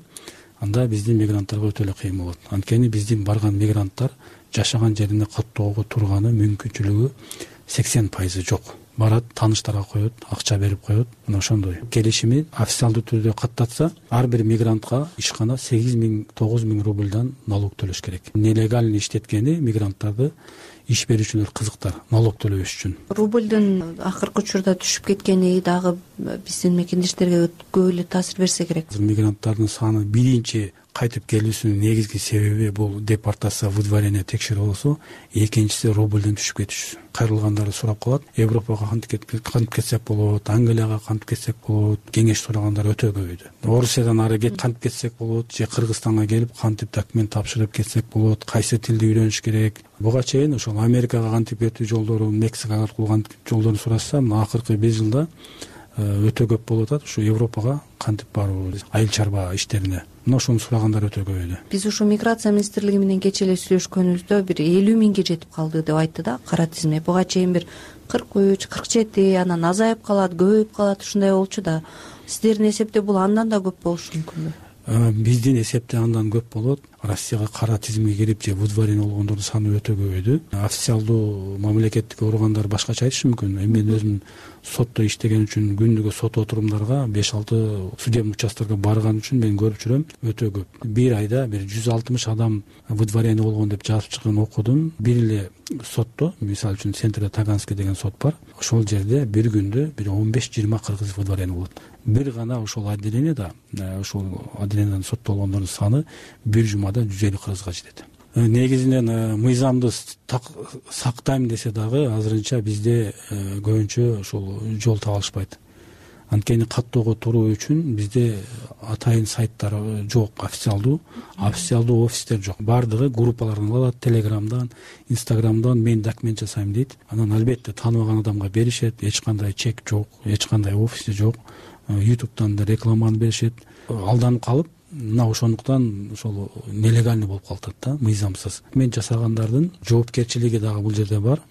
анда биздин мигранттарга өтө эле кыйын болот. Анткени биздин барган мигранттар жашаган жерине каттоого турганы мүмкүнчүлүгү сексен пайызы жок. Барат, тааныштарга коет, акча берип коет. Мына ошондой. Келишими официалдуу түрдө каттатса, ар бир мигрантка ишкана сегиз миң, тогуз миң рубльдан налог төлөш керек. Нелегально иштеткени мигранттарды иш берүүчүлөр кызыктар налог төлөбөш үчүн. Рубльдун акыркы учурда түшүп кеткени дагы биздин мекендештерге көп эле таасир берсе керек. Мигранттардын саны биринчи кайтып келүүсүнүн негизги себеби бул депортация, выдворение, текшерүү болсо, экинчиси рубльден түшүп кетиши. Кайрылгандары сурап калат, Европага кантип кетсек болот, Англияга кантип кетсек болот, кеңеш сурагандар өтө көбөйдү. Орусиядан ары кет кантип кетсек болот, же Кыргызстанга келип кантип документ тапшырып кетсек болот, кайсы тилди үйрөнүш керек. Буга чейин ошол Америкага кантип кетүү жолдорун, Мексикага аркылуу кантип жолдорун сурашса, мына акыркы беш жылда өтө көп болуп атат. Ушу Европага кантип баруу, айыл чарба иштерине. Мына ошону сурагандар өтө көбөйдү. Биз ушу миграция министрлиги менен кечээ эле сүйлөшкөнүбүздө бир элүү миңге жетип калды деп айтты да кара тизме. Буга чейин бир кырк үч, кырк жети, анан азайып калат, көбөйүп калат, ушундай болчу да. Сиздердин эсепте бул андан да көп болушу мүмкүнбү? Биздин эсепте андан көп болот. Россияга кара тизимге кирип же выдворение болгондордун саны өтө көбөйдү. Официалдуу мамлекеттик органдар башкача айтышы мүмкүн. Эми мен өзүм сотто иштеген үчүн күндүгө сот отурумдарга беш алты судебный участкага барган үчүн мен көрүп жүрөм, өтө көп. Бир айда бир жүз алтымыш адам выдворение болгон деп жазып чыккан окудум. Бир эле сотто, мисалы үчүн Центрде Таганский деген сот бар. Ошол жерде бир күндө бир он беш жыйырма кыргыз выдворение болот. Бир гана ошол отделениеда, ошол отделениедан соттолгондордун саны бир жумада жүз элүү кыргызга жетет. Негизинен мыйзамды сактайм десе дагы азырынча бизде көбүнчө ошол жол таба алышпайт. Анткени каттоого туруу үчүн бизде атайын сайттар жок, официалдуу, официалдуу офистер жок. Бардыгы группалардан алат, Телеграмдан, Инстаграмдан мен документ жасайм дейт. Анан албетте тааныбаган адамга беришет, эч кандай чек жок, эч кандай офиси жок. ютубтан да рекламаны беришет. Алданып калып, мына ошондуктан ошол нелегальный болуп калат да, мыйзамсыз. Мен жасагандардын жоопкерчилиги дагы бул жерде бар.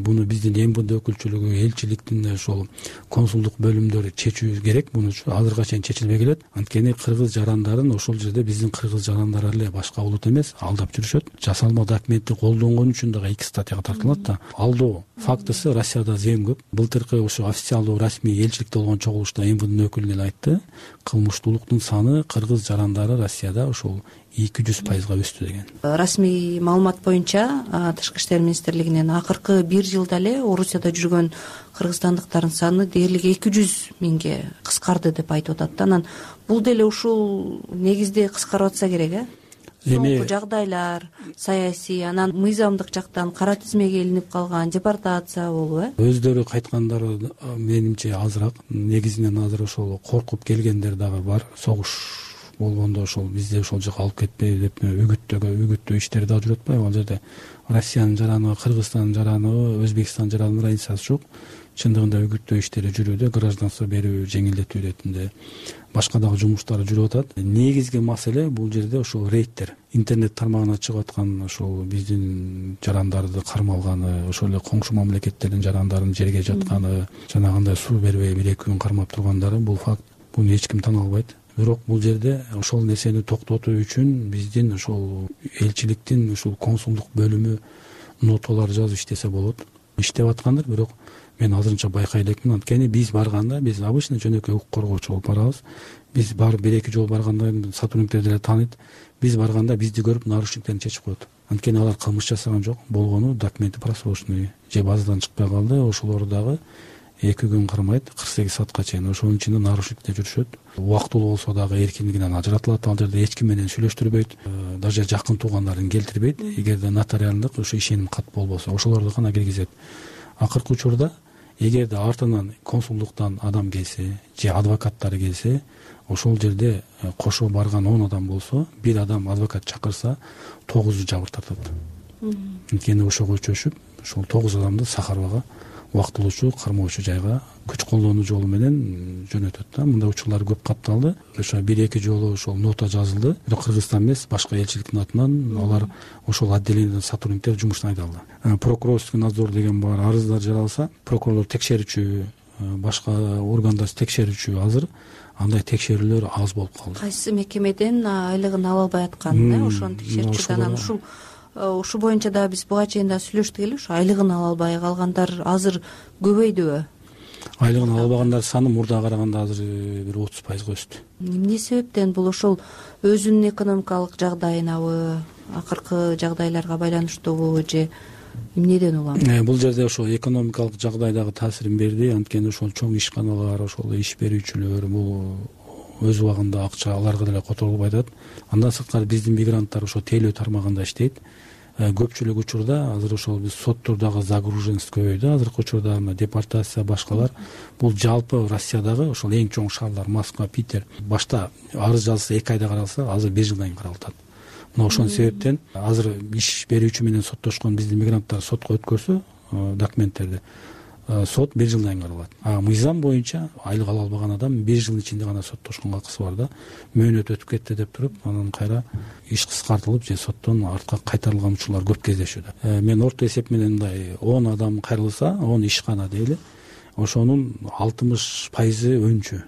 буну биздин мвд өкүлчүлүгү, элчиликтин ошол консулдук бөлүмдөрү чечүү керек. Муну азыркыга чейин чечилбей келет. Анткени кыргыз жарандарын ошол жерде биздин кыргыз жарандары эле, башка улут эмес, алдап жүрүшөт. Жасалма документти колдонгон үчүн дагы эки статьяга тартылат да. Алдоо фактысы Россияда зем көп. Былтыркы ошо официалдуу расмий элчиликте болгон чогулушта мвднын өкүлү эле айтты, кылмыштуулуктун саны кыргыз жарандары Россияда ошол эки жүз пайызга өстү деген. Расмий маалымат боюнча Тышкы иштер министрлигинен акыркы бир жылда эле Орусияда жүргөн кыргызстандыктардын саны дээрлик эки жүз миңге кыскарды деп айтып атат. Анан бул деле ушул негизде кыскарып атса керек, э? Соңку жагдайлар, саясий, анан мыйзамдык жактан кара тизмеге илинип калган, депортация болуп, э? Өздөрү кайткандары менимче азыраак, негизинен азыр ошол коркуп келгендер дагы бар. Согуш болгондо ошол бизди ошол жака алып кетпей деп үгүттөгө үгүттөө иштери дагы жүрүп атпайбы? Ал жерде Россиянын жараны, Кыргызстандын жараны, Өзбекстандын жаранынын разницасы жок. Чындыгында үгүттөө иштери жүрүүдө, гражданство берүү, жеңилдетүү иретинде башка дагы жумуштары жүрүп атат. Негизги маселе бул жерде ошол рейдтер. Интернет тармагына чыгып аткан ошол биздин жарандарды кармалганы, ошол эле коңшу мамлекеттердин жарандарын жерге жатканы, жанагындай суу бербей бир эки күн кармап тургандары, бул факт. Буну эч ким тана албайт. Бирок бул жерде ошол нерсени токтотуу үчүн биздин ошол элчиликтин ушул консулдук бөлүмү ноталар жазып иштесе болот. Иштеп аткандыр, бирок мен азырынча байкай элекмин. Анткени биз барганда, биз обычный жөнөкөй укук коргоочу болуп барабыз. Биз барып бир эки жолу барганда сотрудниктер деле тааныйт. Биз барганда бизди көрүп нарушниктерин чечип коет. Анткени алар кылмыш жасаган жок, болгону документи просрочный же базадан чыкпай калды. Ошолор дагы эки күн кармайт, кырк сегиз саатка чейин ошонун ичинде нарушникте жүрүшөт. Убактылуу болсо дагы эркиндигинен ажыратылат. Ал жерде эч ким менен сүйлөштүрбөйт, даже жакын туугандарын келтирбейт. Эгерде нотариалдык ошо ишеним кат болбосо, ошолорду гана киргизет. Акыркы учурда эгерде артынан консулдуктан адам келсе же адвокаттары келсе, ошол жерде кошо барган он адам болсо, бир адам адвокат чакырса, тогузу жабыр тартат. Анткени ошого чөчүп, ошол тогуз адамды Сахарбага убактылуучу кармоочу жайга күч колдонуу жолу менен жөнөтөт да. Мындай учурлар көп катталды. Ошо бир эки жолу ошол нота жазылды. Бирок Кыргызстан эмес, башка элчиликтин атынан алар ошол отделениеден сотрудниктер жумуштан айдалды. Прокурорский надзор деген бар, арыздар жаралса, прокурорлор текшерүүчү, башка органдар текшерүүчү азыр андай текшерүүлөр аз болуп калды. Кайсы мекемеден айлыгын ала албай аткан, ошону текшерчү анан ушул Ушу боюнча да биз буга чейин да сүйлөштүк эле, ушу айлыгын ала албай калгандар азыр көбөйдүбү? Айлыгын ала албагандар саны мурдага караганда азыр бир отуз пайызга өстү. Эмне себептен? Бул ошол өзүнүн экономикалык жагдайынабы, акыркы жагдайларга байланыштуубу же эмнеден улам? Бул жерде ошол экономикалык жагдай дагы таасирин берди. Анткени ошол чоң ишканалар, ошол иш берүүчүлөр бул өз убагында акча аларга деле которулбай атат. Андан сырткары биздин мигранттар ошо тейлөө тармагында иштейт. Көпчүлүк учурда азыр ошол биз соттордогу загруженность көбөйдү. Азыркы учурда депортация башкалар бул жалпы Россиядагы ошол эң чоң шаарлар Москва, Питер. Башта арыз жазса эки айда каралса, азыр бир жылдан кийин каралып атат. Мына ошонун себептен азыр иш берүүчү менен соттошкон биздин мигранттар сотко өткөрсө документтерди, сот бир жылдан кийин каралат. А мыйзам боюнча айлык ала албаган адам бир жылдын ичинде гана соттошконго акысы бар да. Мөөнөт өтүп кетти деп туруп, анан кайра иш кыскартылып же соттон артка кайтарылган учурлар көп кездешүүдө. Мен орто эсеп менен мындай он адам кайрылса, он ишкана дейли, ошонун алтымыш пайызы өнчү.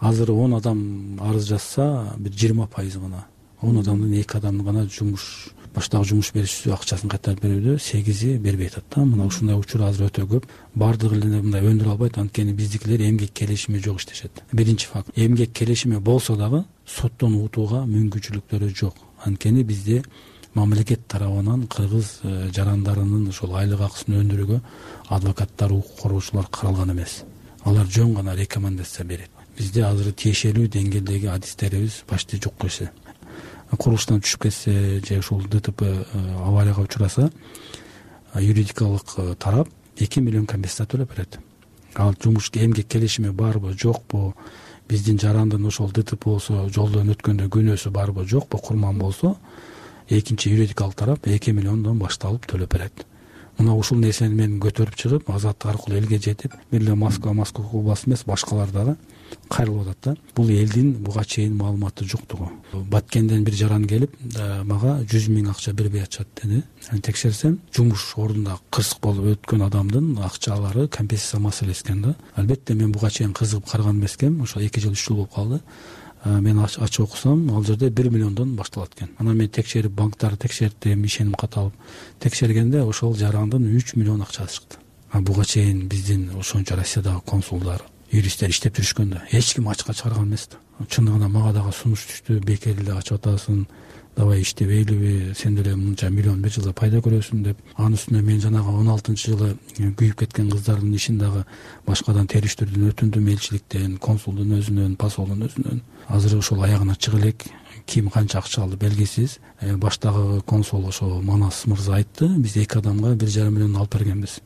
Азыр он адам арыз жазса, бир жыйырма пайыз гана. он адамдын эки адамдын гана жумуш баштагы жумуш берүүчүсү акчасын кайтарып берүүдө, сегизи бербей атат да. Мына ушундай учур азыр өтө көп. Бардыгы эле мындай өндүрө албайт, анткени биздикилер эмгек келишими жок иштешет. Биринчи факт. Эмгек келишими болсо дагы соттон утууга мүмкүнчүлүктөрү жок. Анткени бизде мамлекет тарабынан кыргыз жарандарынын ошол айлык акысын өндүрүүгө адвокаттар, укук коргоочулар каралган эмес. Алар жөн гана рекомендация берет. Бизде азыр тиешелүү деңгээлдеги адистерибиз почти жок койсо. Курулуштан түшүп кетсе же ушул ДТП аварияга учураса, юридикалык тарап эки миллион компенсация төлөп берет. Ал жумуш эмгек келишими барбы, жокпу, биздин жарандын ошол ДТП болсо, жолдон өткөндө күнөөсү барбы, жокпу, курман болсо, экинчи юридикалык тарап эки миллиондон башталып төлөп берет. Мына ушул нерсени мен көтөрүп чыгып, азаттык аркылуу элге жетип, бир эле Москва, Москва областы эмес, башкалар дагы кайрылып атат да. Бул элдин буга чейин маалыматы жоктугу. Баткенден бир жаран келип мага жүз миң акча бербей атышат деди. Текшерсем, жумуш ордунда кырсык болуп өткөн адамдын акчалары компенсация маселеси экен да. Албетте мен буга чейин кызыгып караган эмес экенмин. Ошо эки жыл үч жыл болуп калды. Мен ачып окусам, ал жерде бир миллиондон башталат экен. Анан мен текшерип, банктарды текшердим, ишеним кат алып текшергенде ошол жарандын үч миллион акчасы чыкты. А буга чейин биздин ошончо Россиядагы консулдар, юристтер иштеп жүрүшкөн да. Эч ким ачыкка чыгарган эмес да. Чындыгында мага дагы сунуш түштү, бекер эле ачып атасың, давай иштебейлиби, сен деле мынча миллион бир жылда пайда көрөсүң деп. Анын үстүнө мен жанагы он алтынчы жылы күйүп кеткен кыздардын ишин дагы башкадан териштирүүдөн өтүндүм, элчиликтен, консулдун өзүнөн, посолдун өзүнөн. Азыр ошол аягына чыга элек, ким канча акча алды белгисиз. Баштагы консул ошо Манас мырза айтты, биз эки адамга бир жарым миллион алып бергенбиз.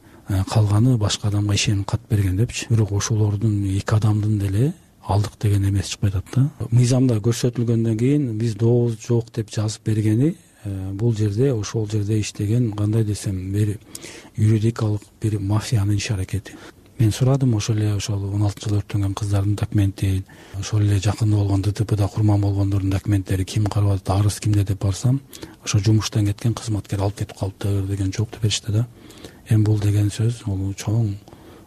Калганы башка адамга ишеним кат берген депчи. Бирок ошолордун эки адамдын деле алдык деген эмес чыкпай атат да. Мыйзамда көрсөтүлгөндөн кийин биз дооз жок деп жазып бергени бул жерде, ошол жерде иштеген кандай десем, бир юридикалык бир мафиянын иш аракети. Мен сурадым ошол эле ошол он алтынчы жылы өрттөнгөн кыздардын документин, ошол эле жакында болгон ДТПда курман болгондордун документтери ким карап атат, арыз кимде деп барсам, ошо жумуштан кеткен кызматкер алып кетип калыптыр деген жооп беришти да. Эми бул деген сөз бул чоң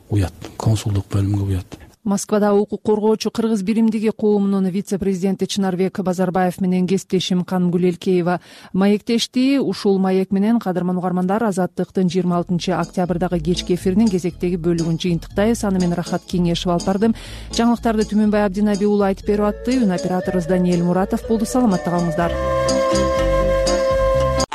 уят, консулдук бөлүмгө уят. Москвада укук коргоочу кыргыз биримдиги коомунун вице-президенти Чынарбек Базарбаев менен кесиптешим Кангүл Элкеева маектешти. Ушул маек менен кадырман угармандар, Азаттыктын жыйырма алтынчы октябрдагы кечки эфиринин кезектеги бөлүгүн жыйынтыктайбыз. Аны мен Рахат Кеңешев алып бардым. Жаңылыктарды Түмөнбай Абдинаби уулу айтып берип атты. Үн операторубуз Даниэль Муратов болду. Саламатта калыңыздар.